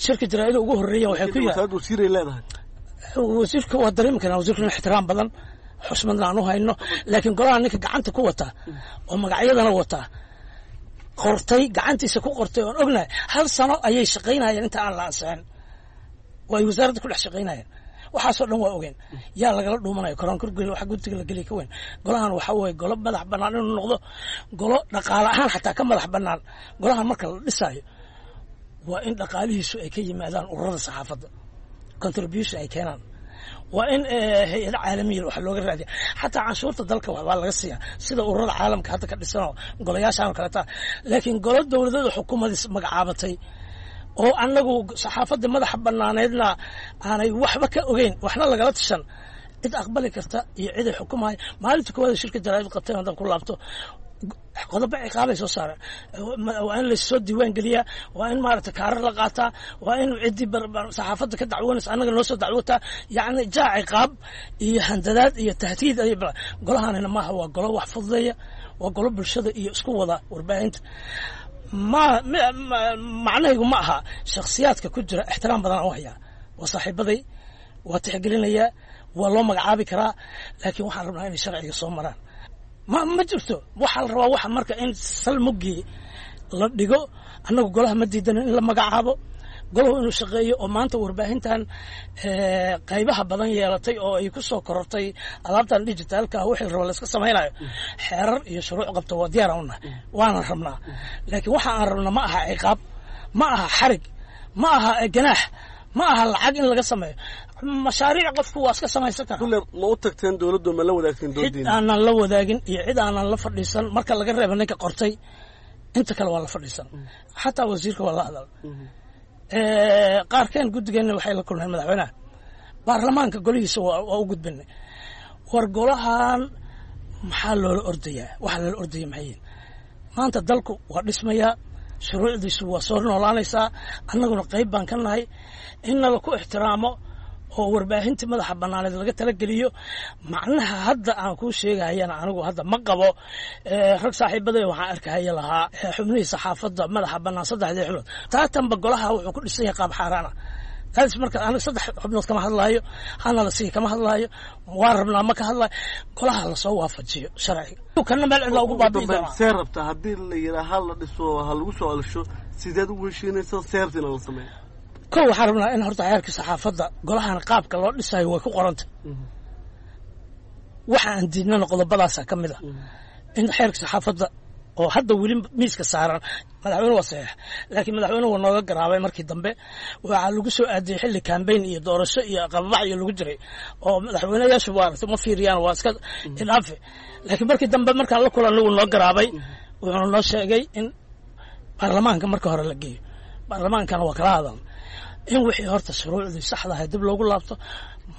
shirka jaraa'ida ugu horreeya waxay ku Wasaaraddu wasiiray leedahay. Wasiirka waa dareemi karnaa, wasiirkuna ixtiraam badan xusmadna aan u hayno, laakiin golaha ninka gacanta ku wata oo magacyadana wata qortay, gacantiisa ku qortay oon ognahay, hal sano ayay shaqaynayeen inta aan la ansixin oo ay wasaaradda ku dhex shaqaynayeen. Waxaasoo dhan waa ogeen. Yaa lagala dhuumanaya koronkorgel waxa guddiga la geliya ka weyn. Golahan waxa weeye golo madax bannaan inuu noqdo, golo dhaqaale ahaan xataa ka madax bannaan. Golahan marka la dhisaayo waa in dhaqaalihiisu ay ka yimaadaan ururada saxaafadda, contribution ay keenaan. Waa in hay-ada caalamiya wax looga raadiya, xataa canshuurta dalka waxbaa laga siiya sida ururada caalamka hadda ka dhisanoo golayaashaan oo kaleeta. Laakiin golo dowladada xukuumadii magacaabatay oo annagu saxaafadda madaxa banaaneedna aanay waxba ka ogeyn, waxna lagala tashan, cid aqbali karta iyo cid ay xukumaya. Maalinta koowaad shirka jaraa'id qabteen haddaan ku laabto, qodobo ciqaabay soo saareen. Waa in lassoo diiwaan geliyaa, waa in maaragtay kaarar la qaataa, waa in ciddii saxaafadda ka dacwoonaysa annaga noo soo dacwootaa. Yacni jaa ciqaab iyo handadaad iyo tahdiid ay golahanina maaha. Waa golo wax fududeeya, waa golo bulshada iyo isku wada warbaahinta. Ma macnahaygu ma aha shakhsiyaadka ku jira, ixtiraam badan aan u hayaa, waa saaxiibaday, waa tixgelinayaa, waa loo magacaabi karaa, laakiin waxaan rabnaa inay sharciga soo maraan. Ma jirto. Waxaa la rabaa waxa marka in salmugii la dhigo. Annagu golaha ma diidano in la magacaabo, golahu inuu shaqeeyo oo maanta warbaahintan qaybaha badan yeelatay oo ay ku soo korortay alaabtan dijitaalka ah, wixii la rabo la iska samaynayo, xeerar iyo shuruuc qabto waa diyaar aan unahay, waana rabnaa. Laakiin waxa aan rabna ma aha ciqaab, ma aha xarig, ma aha ganaax, ma aha lacag in laga sameeyo mashaariic. Qofku waa iska samaysan karaa. Kulle ma u tagteen dowladdu? Ma la wadaagteen Cid doodiina? aanan la wadaagin iyo cid aanan la fadhiisan marka laga reebo ninka qortay, inta kale waa la fadhiisan, xataa wasiirka waa la hadal. Qaarkeen guddigeenna waxay la kulmeen madaxweynaha, baarlamaanka golihiisa waa u gudbinay. War golahan maxaa loola ordayaa? Waxa loola ordaya maxay yihiin? Maanta dalku waa dhismayaa, shuruucdiisu waa soo noolaanaysaa, annaguna qayb baan ka nahay. In nala ku ixtiraamo oo warbaahintii madaxa banaaneed laga talageliyo. Macnaha hadda aan kuu sheegahayana anigu hadda ma qabo. Rag saaxiibaday waxaan arkahaya lahaa xubnihii saxaafadda madaxa bannaan, saddexdii xubnood taatanba golaha wuxuu ku dhisan yahay qaab xaaraan ah. Taas marka aniga saddex xubnood kama hadlaayo, hana la siiya kama hadlaayo, waa rabnaa ma ka hadlaayo. Golaha lasoo waafajiyo sharciga, kana meel cidla ugu baabi'i doonaa. See rabtaa haddii la yidhaa ha la dhiso, ha lagu soo celsho, sideed ugu heshiinaysaa seertina la sameeyo? Kow, waxaan rabnaa in horta xeerka saxaafadda golahan qaabka loo dhisayo way ku qoranta. Waxa aan diidnana qodobadaasa ka mid ah in xeerka saxaafadda oo hadda weli miiska saaran madaxweyne waa saxiix, laakiin madaxweyne waa nooga garaabay markii dambe. Waxaa lagu soo aadiyey xilli kambayn iyo doorasho iyo qababax iyo lagu jiray oo madaxweyneyaashu waa ma fiiriyaan, waa iska idhaafe. Laakiin markii dambe markaan la kulanay wuu noo garaabay, wuxuuna noo sheegay in baarlamaanka marka hore la geeyo. Baarlamaankana waa kala hadal in wixii horta shuruucdii saxda ahayd dib loogu laabto.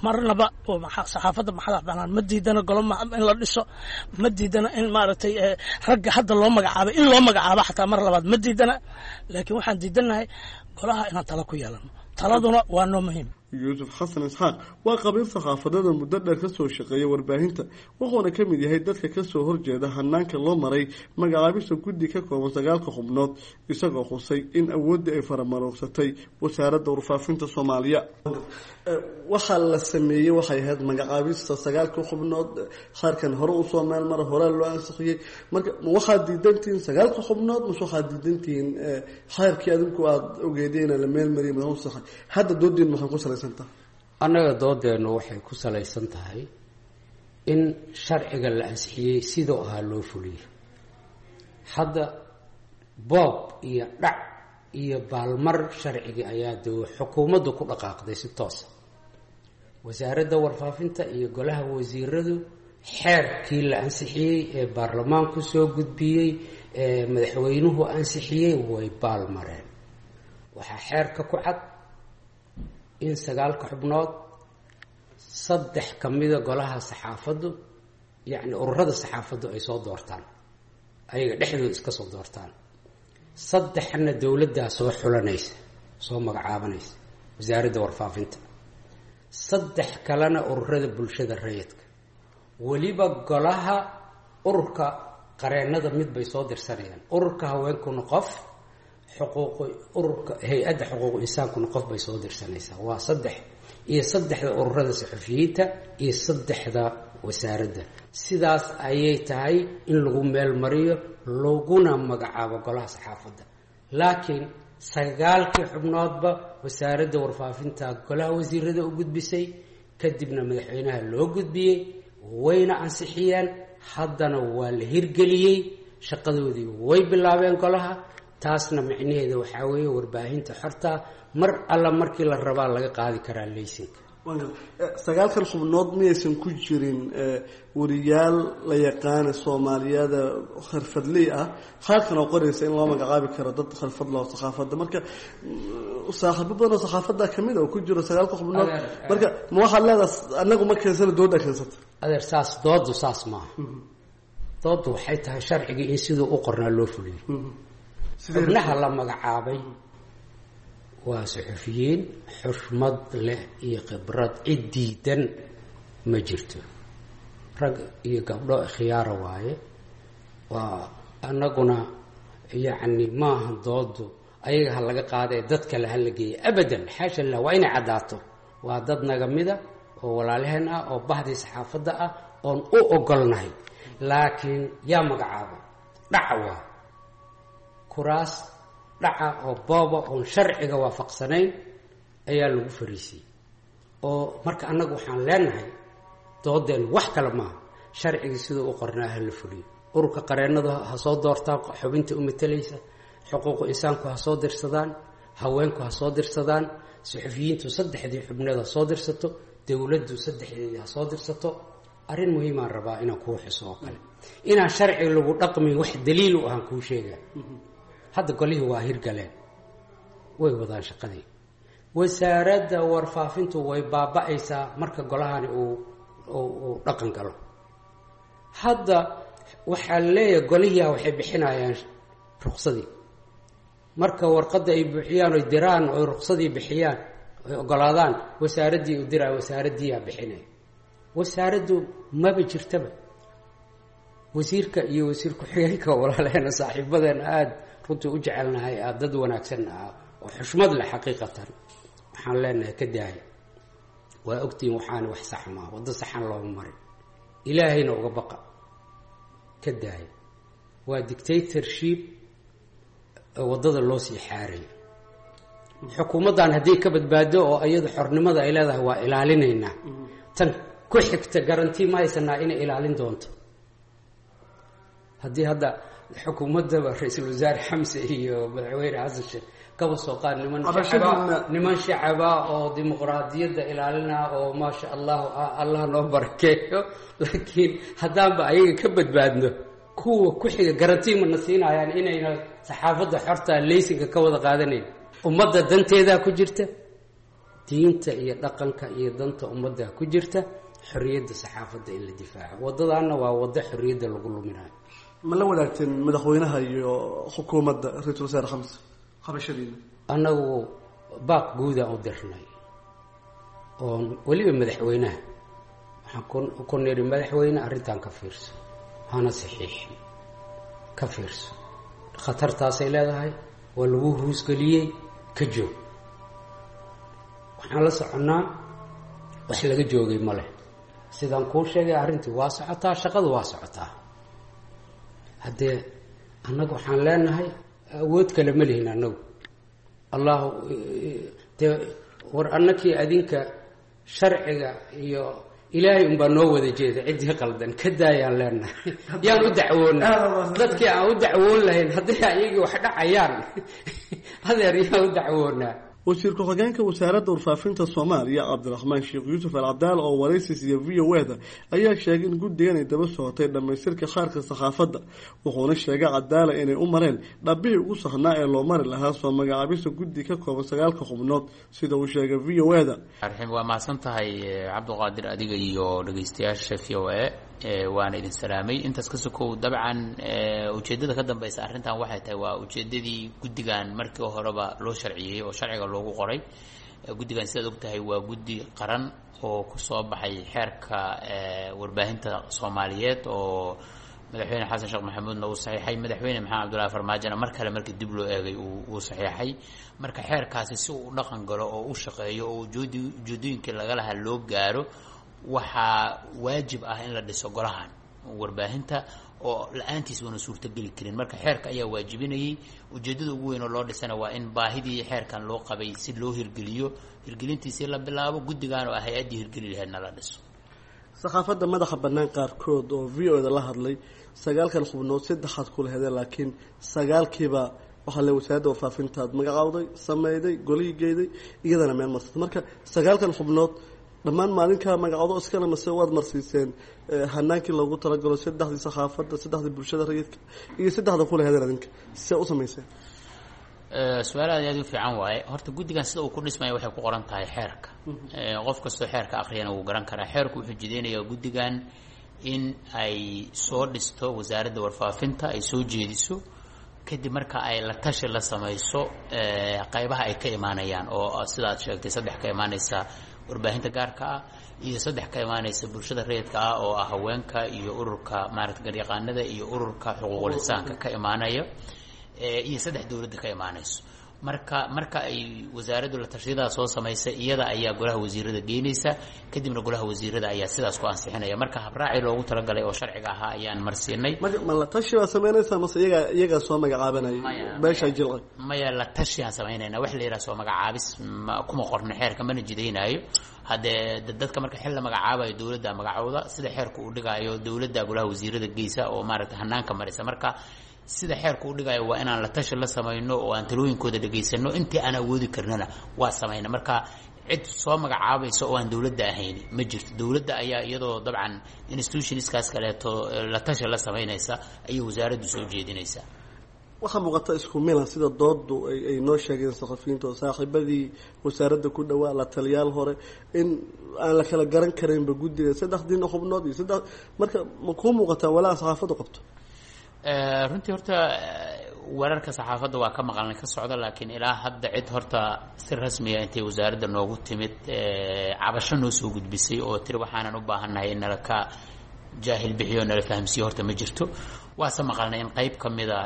Marnaba oo saxaafadda madax banaan ma diidana golo in la dhiso, ma diidana in maaragtay ragga hadda loo magacaabay in loo magacaabo xataa mar labaad ma diidana, laakiin waxaan diidanahay golaha inaan talo ku yeelano, taladuna waa noo muhiim. Yuusuf Xasan Isxaaq waa qabiil saxaafadada muddo dheer ka soo shaqeeya warbaahinta, wuxuuna ka mid yahay dadka ka soo horjeeda hanaanka loo maray magacaabista guddi ka kooban sagaalka xubnood, isagoo xusay in awooddii ay faramaroogsatay wasaaradda warfaafinta Soomaaliya. Waxaa la sameeyey waxay ahayd magacaabista sagaalka xubnood, xeerkan hore usoo meel mara, horaa loo ansixiyey. Marka ma waxaad diidantihiin sagaalka xubnood mase waxaad diidantihiin xeerkii adinku aada ogeedeen la meel mariyay madax saxay? Hadda doodiin maxaa ku salaysantaha? Annaga doodeennu waxay ku salaysan tahay in sharciga la ansixiyey sidoo ahaa loo fuliyey. Hadda boob iyo dhac iyo baalmar sharcigii ayaa dee xukuumaddu ku dhaqaaqday si toosa. Wasaaradda warfaafinta iyo golaha wasiiradu xeerkii la ansixiyey ee baarlamaanku soo gudbiyey ee madaxweynuhu ansixiyey way baalmareen. Waxaa xeerka ku cad in sagaalka xubnood saddex ka mida golaha saxaafaddu, yacni ururada saxaafaddu ay soo doortaan, ayaga dhexdooda iska soo doortaan, saddexna dowladdaa soo xulanaysa, soo magacaabanaysa wasaaradda warfaafinta, saddex kalena ururada bulshada rayidka, weliba golaha ururka qareennada mid bay soo dirsanayaan, ururka haweenkuna qof, xuquuq ururka hay-adda xuquuq insaankuna qof bay soo dirsanaysaa. Waa saddex iyo saddexda ururada saxufiyiinta iyo saddexda wasaaradda. Sidaas ayay tahay in lagu meel mariyo laguna magacaabo golaha saxaafadda. Laakiin sagaalkii xubnoodba wasaaradda warfaafinta golaha wasiirada u gudbisay, Kadibna madaxweynaha loo gudbiyey, wayna ansixiyeen. Haddana waa la hirgeliyey, shaqadoodii way bilaabeen golaha. Taasna micnaheeda waxaa weeye warbaahinta xorta mar alla markii la rabaa laga qaadi karaa laysinka. 9kan xubnood miyaysan ku jirin wariyaal la yaqaana Soomaaliyada xirfadley ah, qaarkan oo qoraysa in loo magacaabi karo dad xirfad loo saxaafadda? Marka saaxiibo badan oo saxaafadda kamid a oo ku jiro 9ka xubnood, marka ma waxaad leedahay anagu ma keensana, dooda keensata? Adeer, saas doodu saas maaha. Doodu waxay tahay sharcigii in siduu u qornaa loo fuliyo. Xubnaha la magacaabay waa suxufiyiin xushmad leh iyo khibrad, cid diidan ma jirto. Rag iyo gabdho khiyaara waaye. Waa annaguna yacni maaha doodu ayaga ha laga qaadae dad kale ha la geeya, abadan, xaasha lilah. Waa inay caddaato, waa dad naga mida oo walaalaheen ah oo bahdii saxaafadda ah oon u ogolnahay. Laakiin yaa magacaabay? Dhaca waa kuraas dhaca oo booba oon sharciga waafaqsanayn ayaa lagu fariisiyey. Oo marka annagu waxaan leenahay doodeen wax kale maaha, sharcigii siduu u qornaa ha la fuliyo. Ururka qareennadu ha soo doortaan xubinta u matalaysa, xuquuqu insaanku ha soo dirsadaan, haweenku ha soo dirsadaan, suxufiyiintu saddexdii xubneed ha soo dirsato, dowladdu saddexdeedii ha soo dirsato. Arrin muhiimaan rabaa inaan kuu xuso oo kale, inaan sharci lagu dhaqmin wax daliil u ahaan kuu sheega. Hadda golihii waa hirgaleen, way wadaan shaqadii. Wasaaradda warfaafintu way baaba-aysaa marka golahani uu dhaqan galo. Hadda waxaa leeyahay golihiia waxay bixinayaan ruqsadii. Marka warqadda ay buuxiyaan oy diraan oy ruqsadii bixiyaan oy ogolaadaan, wasaaraddii u diraa, wasaaraddiiyaa bixinaya. Wasaaraddu maba jirtaba. Wasiirka iyo wasiir ku-xigeenka, walaaleena, saaxiibadeena aada runtii u jecelnahay, aada dad wanaagsan ah oo xushmad leh xaqiiqatan, waxaan leenahay ka daaya. Waa ogtihiin waxaana wax sax maa, waddo saxan looma marin, ilaahayna uga baqa, ka daaya. Waa dictatorship waddada loo sii xaarayo. Xukuumaddan haddii ka badbaado oo iyadu xornimada ay leedahay waa ilaalinaynaa, tan ku xigta garanti ma haysanaa inay ilaalin doonto. Haddii hadda xukuumaddaba ra-iisul wasaare Xamse iyo madaxweyne Xasan Sheekh kaba soo qaad niman shacaba oo dimuqraadiyadda ilaalina oo maasha allahu ah, Allah noo barakeeyo, laakiin haddaanba ayaga ka badbaadno, kuwa ku xiga garanti mana siinayaan inayna saxaafadda xorta laysinka ka wada qaadanayn? Ummadda danteedaa ku jirta, diinta iyo dhaqanka iyo danta ummaddaa ku jirta xorriyadda saxaafadda in la difaaco. Waddadaanna waa waddo xorriyadda lagu luminayo. Ma la wadaagteen madaxweynaha iyo xukuumadda, ra-iisul wasaare Xamse, qabashadiina? Annagu baaq guudaan u dirnay, oon weliba madaxweynaha waxaan ku nidhi, madaxweyne, arrintan ka fiirso, hana saxiixin, ka fiirso, khatartaasay leedahay, waa lagu huusgeliyey, ka joog. Waxaan la soconnaa wax laga joogay ma leh. Sidaan kuu sheegay, arrintii waa socotaa, shaqadu waa socotaa. Haddee annagu waxaan leenahay awood kale ma lihin annagu. Allahu dee war annakii adinka sharciga iyo ilaahay unbaa noo wada jeeda. Ciddii qaldan ka daayaan leenahay. Yaan u dacwoona dadkii aan u dacwoon lahayn hadday ayagii wax dhacayaan? Adeer, yaan u dacwoonaa? Wasiir ku-xigeenka wasaaradda warfaafinta Soomaaliya Cabdiraxmaan Sheekh Yuusuf Alcadaal oo waraysis iyo v o e da ayaa sheegay in guddigan ay daba socotay dhammaystirka qaarka saxaafadda. Wuxuuna sheegay Cadaala inay u mareen dhabbihii ugu saxnaa ee loo mari lahaa soo magacaabista guddi ka kooban 9ka xubnood, sida uu sheegay v o e da. Waa mahadsan tahay Cabdiqaadir, adiga iyo dhegeystayaasha v o a waana idin salaamay. Intaas ka sokow, dabcan ujeeddada ka dambeysa arrintan waxay tahay waa ujeeddadii guddigan markii horeba loo sharciyey oo sharciga loogu qoray. Guddigan, sidaad og tahay, waa guddi qaran oo kusoo baxay xeerka warbaahinta Soomaaliyeed oo madaxweyne Xasan Sheekh Maxamuudna uu saxiixay, madaxweyne Maxamed Cabdullahi Farmaajona mar kale markii dib loo eegay uu saxiixay. Marka xeerkaasi si uu u dhaqan galo oo u shaqeeyo oo ujeedooyinkii laga lahaa loo gaaro, waxaa waajib ah in la dhiso golahan warbaahinta oo la-aantiis uuna suurtogeli karin. Marka xeerka ayaa waajibinayay. Ujeeddada ugu weyn oo loo dhisana waa in baahidii xeerkan loo qabay si loo hirgeliyo, hirgelintiisii la bilaabo, guddigan oo ah hay-addii hirgeli laheedna la dhiso. Saxaafadda madaxa bannaan qaarkood oo v o da la hadlay, 9kan xubnood saddexaad kula hedeen, laakiin 9kiiba waxaa le wasaaradda warfaafintaad magacaawday, sameyday, golihii geeday, iyadana meel marsatay. Marka 9kan xubnood dhammaan maalinkaa magacoodo iskale mase waad marsiiseen hanaankii loogu talagalo, saddexdii saxaafadda, saddexdii bulshada rayidka iyo saddexda kula hedeen adinka, see u samayseen? Su-aal aad aad u fiican waaye. Horta guddigan sida uu ku dhismaya waxay ku qoran tahay xeerka. Qof kastoo xeerka akhriyana wuu garan karaa. Xeerku wuxuu jideynayaa guddigan in ay soo dhisto wasaaradda warfaafinta, ay soo jeediso, kadib marka ay la tashi la samayso qaybaha ay ka imaanayaan, oo sida aad sheegtay saddex ka imaanaysa warbaahinta gaarka ah iyo saddex ka imaanaysa bulshada rayidka ah, oo ah haweenka iyo ururka maarata garyaqaanada iyo ururka xuquuqul insaanka ka imaanaya, iyo saddex dowladda ka imaanayso. Marka ay wasaaraddu la tashiyadaa soo samaysa, iyada ayaa golaha wasiirada geynaysa, kadibna golaha wasiirada ayaa sidaas ku ansixinaya. Marka habraaci loogu talagalay oo sharciga ahaa ayaan marsiinay. Ma la tashi baa samaynaysaa mase iyagaa soo magacaabanaya beeshaa jilcay? Maya, la tashiaan samaynayna. Wax la yidhaha soo magacaabis kuma qorno xeerka, mana jidaynaayo. Haddee dadka marka xil la magacaabayo dowladda magacooda, sida xeerku uu dhigaayo dowladda golaha wasiirada geysa oo maaragta hanaanka marisa. Marka sida xeerku u dhigayo waa inaan la tashi la samayno oo aan talooyinkooda dhegaysano, intii aan awoodi karnana waa samayna. Marka cid soo magacaabaysa oo aan dowladda ahayn ma jirto. Dowladda ayaa iyadoo dabcan institutionskaas kaleeto la tashi la samaynaysa ayay wasaaraddu soo jeedinaysaa. Waxaa muuqata isku milan sida doodu ay noo sheegeen saxafiyiinta oo saaxiibadii wasaaradda ku dhawaa, la taliyaal hore, in aan la kala garan karaynba guddiga saddexdiina xubnood iyo saddex. Marka ma kuu muuqataa walaa saxaafaddu qabto? Runtii horta wararka saxaafadda waa ka maqalnay ka socda, laakiin ilaa hadda cid horta si rasmiya intay wasaaradda noogu timid cabasho noo soo gudbisay oo tiri waxaanan u baahannahay in nala ka jaahil bixiyo, nala fahamsiiyo, horta ma jirto. Waase maqalnay in qayb ka mida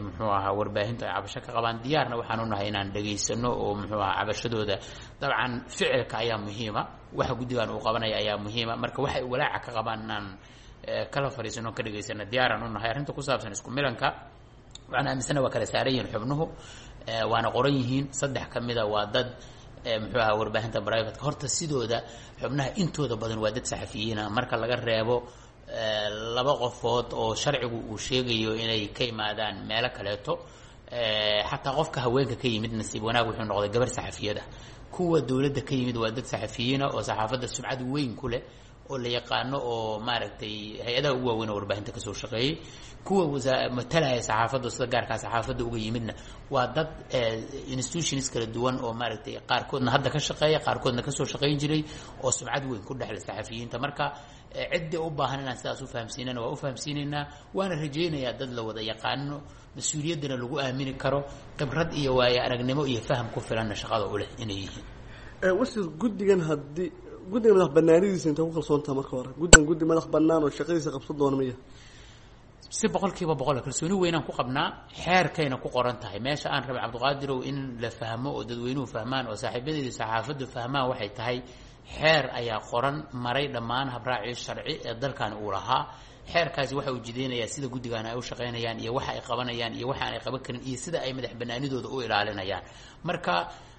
muxuu ahaa warbaahintu ay cabasho ka qabaan. Diyaarna waxaan u nahay inaan dhegaysano oo muxuu ahaa cabashadooda. Dabcan ficilka ayaa muhiima, waxa guddigan uu qabanaya ayaa muhiima. Marka waxay walaaca ka qabaan inaan kala fariisano, ka dhegaysano, diyaaraan u nahay. Arrinta ku saabsan isku milanka, waxaan aaminsana waa kala saaran yihiin xubnuhu, waana qoran yihiin. Saddex ka mida waa dad muxuu ahaa warbaahinta privateka. Horta sidooda xubnaha intooda badan waa dad saxafiyiina, marka laga reebo laba qofood oo sharcigu uu sheegayo inay ka yimaadaan meelo kaleeto. Xataa qofka haweenka ka yimid nasiib wanaag wuxuu noqday gabar saxafiyada. Kuwa dowladda ka yimid waa dad saxafiyiina oo saxaafadda sumcad weyn ku leh oo la yaqaano, oo maaragtay hay-adaha ugu waaweyn oo warbaahinta kasoo shaqeeyey. Kuwa matalaya saxaafadda sida gaarkaa saxaafadda uga yimidna waa dad institutions kala duwan oo maaragtay qaarkoodna hadda ka shaqeeya, qaarkoodna kasoo shaqeyn jiray, oo sumcad weyn ku dhexle saxafiyiinta. Marka ciddii u baahan inaan sidaas u fahamsiinana waa u fahamsiinaynaa, waana rajaynayaa dad la wada yaqaano, mas-uuliyaddana lagu aamini karo, khibrad iyo waayo aragnimo iyo faham ku filanna shaqada u leh inay yihiin. Wasiir, guddigan haddii guddiga madax banaanidiisa intay ku kalsoontaha marka hore, guddigan guddi madax banaan oo shaqadiisa qabsan doona miya? Si 100% kalsooni weynaan ku qabnaa. Xeerkayna ku qoran tahay. Meesha aan rabay, Cabdiqaadirow, in la fahmo oo dadweynuhu fahmaan oo saaxiibadeedii saxaafaddu fahmaan waxay tahay, xeer ayaa qoran maray dhammaan habraacii sharci ee dalkan uu lahaa. Xeerkaasi waxa uu jideynayaa sida guddigan ay u shaqaynayaan iyo waxa ay qabanayaan iyo waxa aanay qaban karin iyo sida ay madax banaanidooda u ilaalinayaan. Marka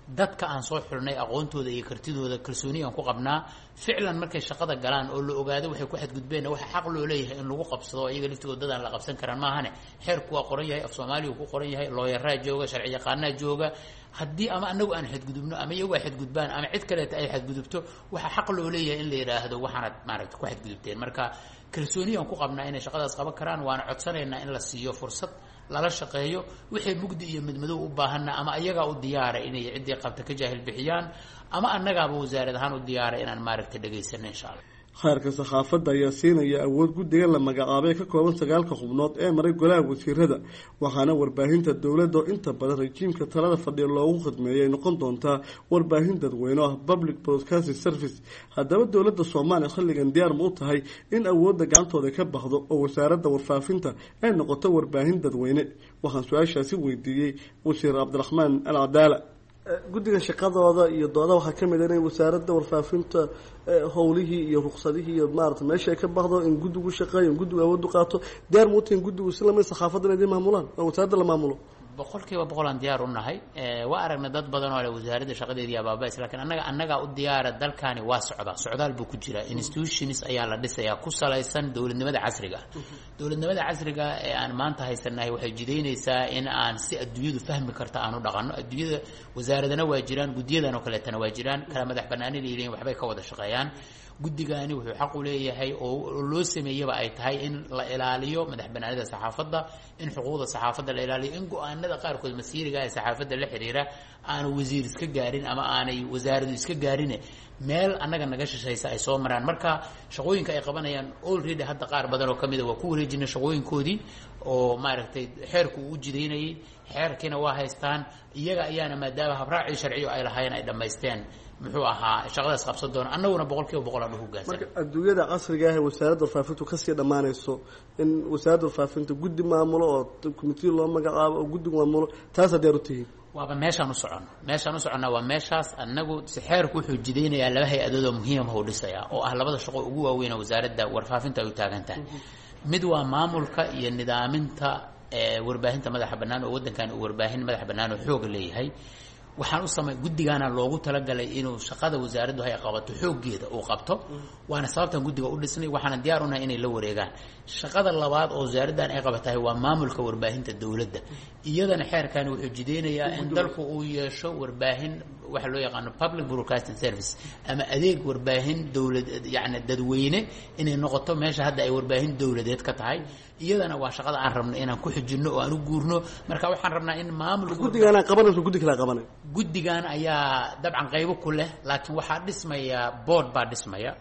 dadka aan soo xulnay aqoontooda iyo kartidooda kalsooni aan ku qabnaa. Ficlan markay shaqada galaan oo la ogaado waxay ku xadgudbeenna, waxa xaq loo leeyahay in lagu qabsado iyaga laftigooda dadaan la qabsan karaan maahane. Xeerku waa qoran yahay, af Soomaaliya ku qoran yahay, looyaraa jooga, sharci yaqaanaa jooga. Haddii ama anagu aan xadgudubno ama iyagu ay xadgudbaan ama cid kaleeta ay xadgudubto, waxa xaq loo leeyahay in la yidhaahdo waxaanad maaragta ku xadgudubteen. Marka kalsooni aan ku qabnaa inay shaqadaas qaban karaan, waana codsanaynaa in la siiyo fursad, lala shaqeeyo. Wixii mugdi iyo midmadow u baahanna ama ayagaa u diyaara inay ciddii qabta ka jaahil bixiyaan, ama annagaaba wasaarad ahaan u diyaara inaan maaragta dhegaysano, insha Allah. Khayrka saxaafadda ayaa siinaya awood guddiga la magacaabay ka kooban 9ka xubnood ee maray golaha wasiirada, waxaana warbaahinta dowladda oo inta badan rajiimka talada fadhiya loogu khidmeeyay ay noqon doontaa warbaahin dadweyne oo ah public broadcasting service. Haddaba dowladda Soomaaliya xilligan diyaar ma u tahay in awoodda gacantooda ka baxdo oo wasaaradda warfaafinta ay noqoto warbaahin dadweyne? Waxaan su-aashaasi weydiiyey wasiir Cabdiraxmaan Al Cadaala. Guddiga shaqadooda iyo dooda waxaa ka mid ah inay wasaaradda warfaafinta howlihii iyo ruqsadihii iyo maarata meesha ay ka baxdo, in guddigu shaqeeyo, in guddigu awooddu qaato. Diyaar ma u tihiin guddigu si lamid saxaafadda inay idin maamulaan oo wasaaradda la maamulo? 100% aan diyaar u nahay. Waa aragnay dad badan oo leh wasaaradda shaqadeedii abaabays, laakiin annagaa u diyaara. Dalkani waa socdaa, socdaal buu ku jiraa. Institutions ayaa la dhisayaa ku salaysan dowladnimada casriga ah. Dowladnimada casriga ee aan maanta haysanahay waxay jidaynaysaa in aan si adduunyadu fahmi karta aan u dhaqanno. Adduunyada wasaaradana waa jiraan, guddiyadan oo kaleetana waa jiraan, kala madax banaani leeyihiin, waxbay ka wada shaqeeyaan. Guddigani wuxuu xaq u leeyahay oo loo sameeyaba ay tahay in la ilaaliyo madax banaanida saxaafadda, in xuquuqda saxaafadda la ilaaliyo, in go-aanada qaarkood masiiriga ee saxaafadda la xiriira aanu wasiir iska gaarin ama aanay wasaaradu iska gaarine, meel annaga naga shishaysa ay soo maraan. Marka shaqooyinka ay qabanayaan already hadda qaar badan oo kamid a waa ku wareejinay shaqooyinkoodii oo maaragtay xeerku uu u jidaynayay. Xeerkiina waa haystaan iyaga ayaana, maadaama habraacii sharciyo ay lahaayeen ay dhammaysteen, muxuu ahaa, shaqadaas qabsan doona. Annaguna 100% aan u hoggaansan. Marka adduunyada casriga ah ee wasaaradda warfaafintu kasii dhammaanayso, in wasaaradda warfaafinta guddi maamulo oo committee loo magacaabo oo guddigu maamulo, taasaa diyaar u tihiin? Waaba meeshaan u soconno. Meeshaan u soconnaa waa meeshaas. Annagu si xeerku wuxuu jidaynayaa laba hay-adood oo muhiimah u dhisayaa, oo ah labada shaqo ugu waaweyn oo wasaaradda warfaafinta ay u taagan tahay. Mid waa maamulka iyo nidaaminta warbaahinta madaxa bannaan, oo waddankan uu warbaahin madaxa bannaan oo xooga leeyahay. Waxaan u samay guddigaana loogu talagalay inuu shaqada wasaaraddu hay qabato xooggeeda uu qabto, waana sababtan guddiga u dhisnay, waxaana diyaar unahay inay la wareegaan. Shaqada labaad oo wasaaraddan ay qabatahay waa maamulka warbaahinta dowladda. Iyadana xeerkani wuxuu jideynayaa in dalku uu yeesho warbaahin waxa loo yaqaano public broadcasting service ama adeeg warbaahin dowlad, yacni dadweyne, inay noqoto meesha hadda ay warbaahin dowladeed ka tahay. Iyadana waa shaqada aan rabno inaan ku xijinno oo aan u guurno. Marka waxaan rabnaa in maamulka Guddigaana qabanayso, guddi kala qabanay? Guddigan ayaa dabcan qaybo ku leh, laakiin waxaa dhismaya board baa dhismaya,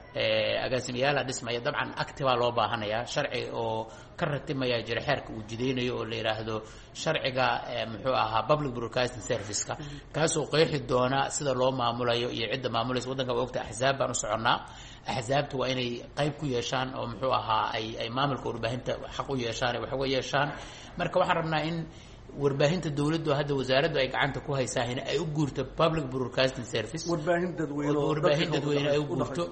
agaasimayaalaa dhismaya. Dabcan acti baa loo baahanayaa, sharci oo ka ratimaya jira xeerka uu jidaynayo oo la yidhaahdo sharciga muxuu ahaa public broadcasting service-ka, kaasoo qeexi doona sida loo maamulayo iyo cidda maamulaysa. Waddanka waa ogta axsaab baan u soconnaa. Axsaabtu waa inay qayb ku yeeshaan oo muxuu ahaa ay maamulka warbaahinta xaq u yeeshaan, ay wax uga yeeshaan. Marka waxaan rabnaa in warbaahinta dowladdu hadda wasaaraddu ay gacanta ku haysaa in ay u guurto public broadcasting service, warbaahin dadweyne oo warbaahin dadka dadweyne ay u u guurto.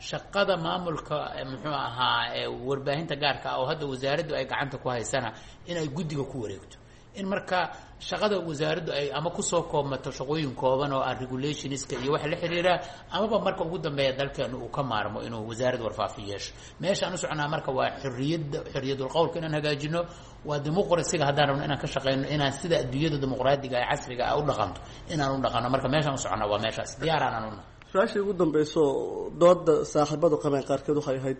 Shaqada maamulka muxuu ahaa warbaahinta gaarka ah oo hadda wasaaraddu ay gacanta ku haysana in ay guddiga ku wareegto, in marka shaqada wasaaraddu ay ama kusoo koobmato shaqooyin kooban oo ah regulationska iyo waxa la xiriira, amaba marka ugu dambeeya dalkeenu uu ka maarmo inuu wasaarad warfaafin yeesho. Meesha aan u soconaa marka waa xorriyadda, xorriyadul qowlka inaan hagaajino, waa dimuqrasiga haddaan rabno inaan ka shaqeyno, inaan sida adduunyada dimuqraadiga ee casriga ah u dhaqanto inaan u dhaqanno. Marka meeshaan u soconaa waa meeshaas, diyaaraan una. Su-aashii ugu dambeyso, dooda saaxiibadu qabeen qaarkeed waxay ahayd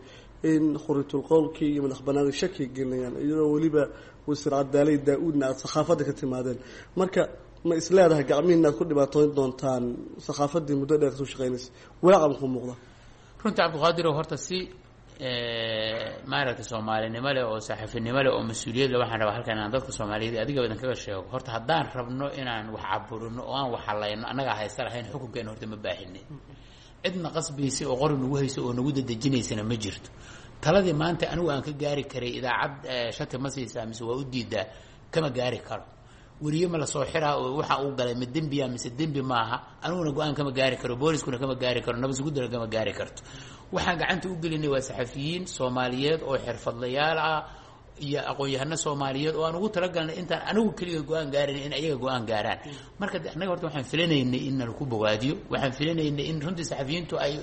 in xuriyatul qowlkii iyo madax banaanida shaki gelinayaan, iyadoo weliba wasiir Cadaalay Daa-uudna aada saxaafadda ka timaadeen. Marka ma is leedahay gacmihiina aad ku dhibaatooyn doontaan saxaafaddii muddo dheer kasoo shaqeynaysa? Walaaca muxuu muuqda? Runtii Cabdiqaadir, horta si maaragtay soomaalinimo leh oo saxafinimo leh oo mas-uuliyad leh, waxaan rabaa halkan inaan dadka Soomaaliyeed adiga badan kaga sheego. Horta haddaan rabno inaan wax caburino oo aan wax halayno, annagaa haysta lahayn xukunkeena. Horta ma baahinin cidna qasbaysa oo qori nagu hayso oo nagu dadejinaysana ma jirto. Taladii maanta anigu aan ka gaari karay idaacad shati ma siisaa mise waa u diidaa, kama gaari karo. Weriye ma lasoo xiraa oo waxa uu galay ma dembiya mise dembi maaha, aniguna go-aan kama gaari karo, booliskuna kama gaari karo, nabadsuguddana kama gaari karto. Waxaan gacanta u gelinay waa saxafiyiin Soomaaliyeed oo xirfadlayaal ah iyo aqoon-yahano Soomaaliyeed oo aan ugu talagalnay intaan anigu keliga go-aan gaarin in ayaga go-aan gaaraan. Marka annaga horta waxaan filanaynay in nalaku bogaadiyo, waxaan filanaynay in runtii saxafiyiintu ay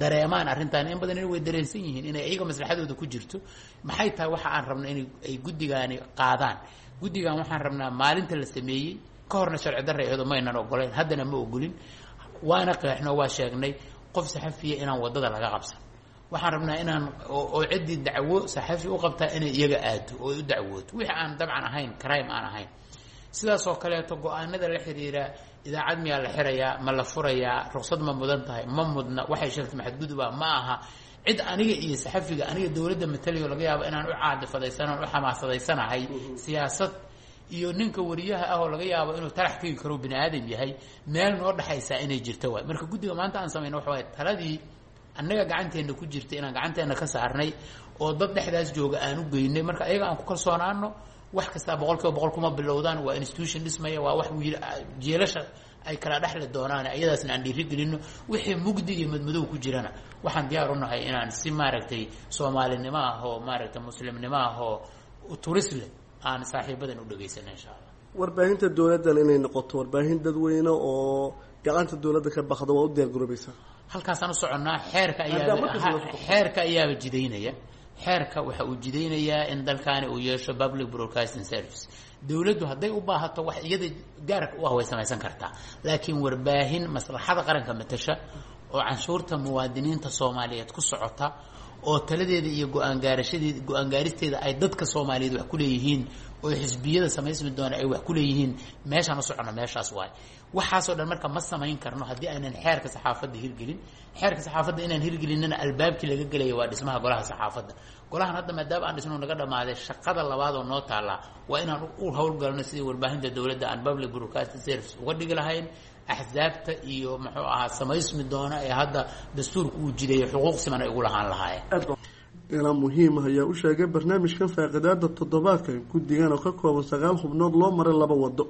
dareemaan arrintan. In badan way dareensan yihiin inay iyaga maslaxadooda ku jirto. Maxay tahay waxa aan rabno in ay guddigaani qaadaan? Guddigan waxaan rabnaa maalinta la sameeyey ka horna sharci darra iyadoo maynan ogolayn, haddana ma ogolin, waana qeexno, waa sheegnay qof saxafiya inaan waddada laga qabsan. Waxaan rabnaa inaan oo ciddii dacwo saxafi u qabtaa inay iyaga aado oo ay u dacwooto, wixii aan dabcan ahayn crime aan ahayn. Sidaas oo kaleeto go-aanada la xiriira idaacad miyaa la xirayaa, ma la furayaa, ruqsad ma mudan tahay, ma mudna, waxay sheegtay maxadguduba ma aha, cid aniga iyo saxafiga aniga dowladda matalayo laga yaabo inaan u caadifadaysano u xamaasadaysanahay siyaasad, iyo ninka wariyaha ah oo laga yaabo inuu tarax tegi karo bini aadam yahay, meel noo dhexaysaa inay jirto waay. Marka guddiga maanta aan samayno waxa waaye taladii annaga gacanteenna ku jirta inaan gacanteenna ka saarnay oo dad dhexdaas jooga aan u geynay. Marka ayaga aan ku kalsoonaano. Wax kastaa 100% kuma bilowdaan. Waa institution dhismaya, waa wax wiil jeelasha ay kala dhexli doonaan, iyadaasna aan dhiirigelino. Wixii mugdi iyo madmadow ku jirana waxaan diyaar u nahay inaan si maaragtay soomaalinimo ah oo maaragtay muslimnimo ah oo turis leh aan saaxiibadan u dhegaysano insha Allah. Warbaahinta dowladdan inay noqoto warbaahin dadweyne oo gacanta dowladda ka baxda, waa u diyaar garoobaysaa? Halkaasaan u soconnaa. Xeerka ayaa, xeerka ayaaba jidaynaya. Xeerka waxa uu jidaynayaa in dalkaani uu yeesho public broadcasting service. Dowladdu hadday u baahato wax iyada gaarka u ah way samaysan kartaa, laakiin warbaahin maslaxada qaranka matasha oo canshuurta muwaadiniinta Soomaaliyeed ku socota oo taladeeda iyo go-aan gaarashadeeda, go-aan gaaristeeda ay dadka Soomaaliyeed wax ku leeyihiin oo xisbiyada samaysmi doona ay wax ku leeyihiin, meeshaan u socono meeshaas waay. Waxaasoo dhan marka ma samayn karno haddii aynan xeerka saxaafadda hirgelin. Xeerka saxaafadda inaan hirgelinana albaabkii laga gelaya waa dhismaha golaha saxaafadda. Golahan hadda maadaama aan dhisno naga dhamaaday, shaqada labaad oo noo taallaa waa inaan u howlgalno sidii warbaahinta dowladda aan public broadcasting service uga dhigi lahayn. Axsaabta iyo muxuu ahaa samaysmi doona ee hadda dastuurka uu jideeyay xuquuq siman ay ugu lahaan lahaayeen. Ilaa muhiim ah ayaa u sheegay barnaamijkan faaqidaada toddobaadka in guddigan oo ka kooban 9 xubnood loo maray laba wado.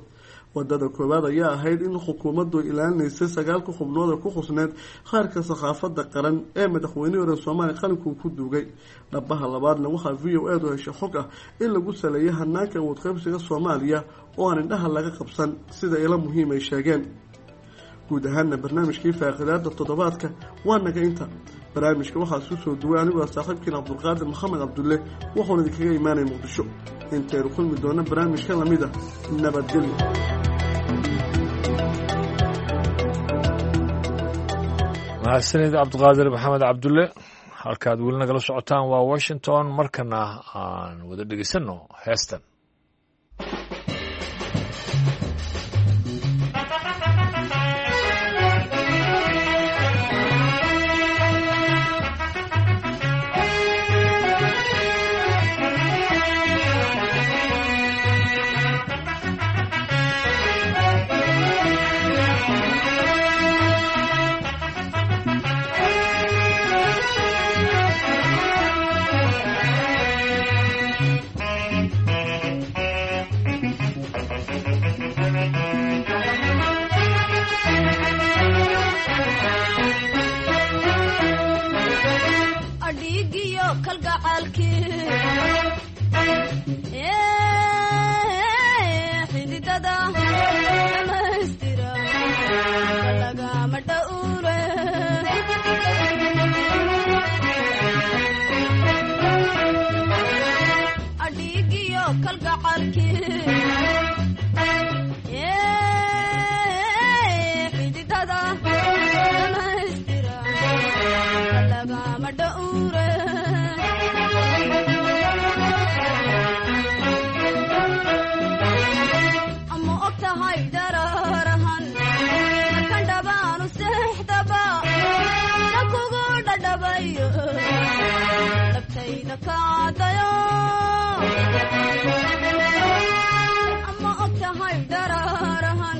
Wadada koowaad ayaa ahayd in xukuumaddu ilaalinaysay 9-ka xubnood ee ku xusneyd khaarka saxaafadda qaran ee madaxweynihii hore Soomaaliya qalinkuu ku duugay. Dhabaha labaadna waxaa v o edu heshay xog ah in lagu saleeyay hanaanka awood qaybsiga Soomaaliya oo aan indhaha laga qabsan, sida ilo muhiim ay sheegeen. Guud ahaana barnaamijkii faaqidaada toddobaadka waa naga inta. Barnaamijka waxaa isku soo duway anigoo saaxiibkiin Cabdulqaadir Maxamed Cabdulle, wuxuuna idinkaga imaanaya Muqdisho. Intaynu kulmi doona barnaamijka lamid ah, nabadgelyo. Mahadsanid Cabdiqaadir Maxamed Cabdulle. Halkaad weli nagala socotaan waa Washington. Markana aan wada dhegeysanno heestan. Adhiigiyo kalgacaalkii xididada dhamaystira lagama dhowre. Adhiigiyo kalgacaalkii xididada dhamaystira lagama dhowre. Ama og tahay dararahan markan dhabaanu seexdaba na kugu dhadhabayo dhabtayda kaadayo. Ama og tahay dararahan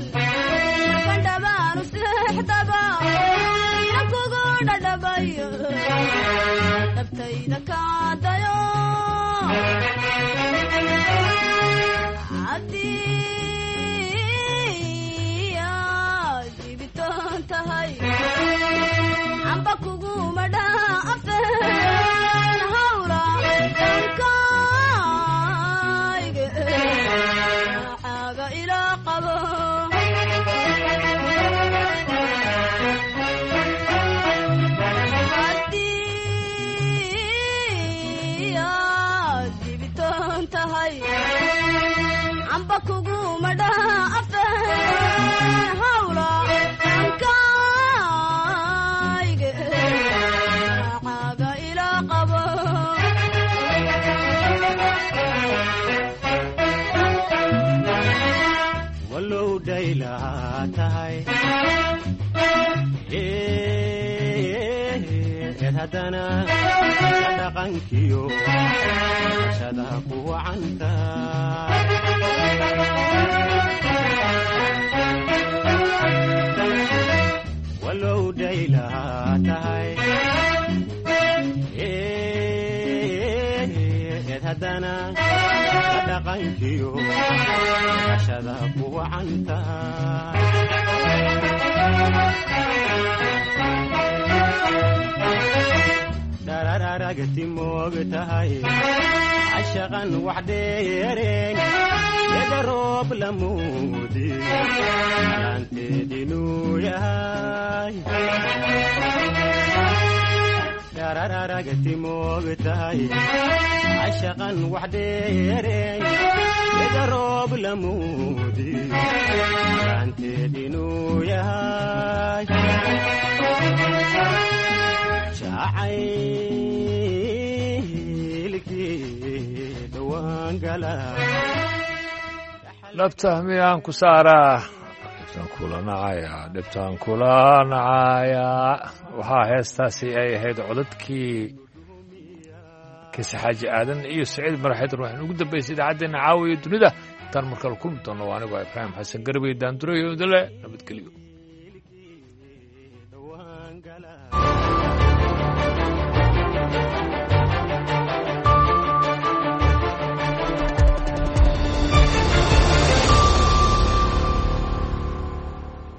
markan dhabaanu seexdaba na kugu dhadhabayo dhabtayda kaadayo. Haddii aad dibitaan tahay amba kuguma dhaafeen hawla kayge xaaga ilaa qabo. Haddii aad dibitaan tahay amba kuguma dhaafeen hawla kayge xaaga ilaa qabo. Walow dhaylaa tahay eed haddana dhaqankiyo shada ku wacanta. Walow dhaylaa tahay eed haddana dhaqankiyo shada ku wacanta. Dhararagti moog tahay cashaqan wax dheereen eda roob lamuudi alaanteedinuu yahay. Dhararagti moog tahay cashaqan wax dheereen eda roob lamuudi alaanteedinuu yahay. Jacaylkii dhawaan gala. Dhabta miyaan ku saaraa, dhibtaan kula nacayaa, dhibtaan kula nacayaa. Waxaa heestaasi ay ahayd codadkii Kise Xaaji Aadan iyo Saciid Maraxeed. Waxaan ugu dambaysay idaacaddeenna caawiya dunida. Intaan markale kulmi doonno, waa anigoo Ibraahim Xasan Garbey Daandureyo, idinle nabadgelyo.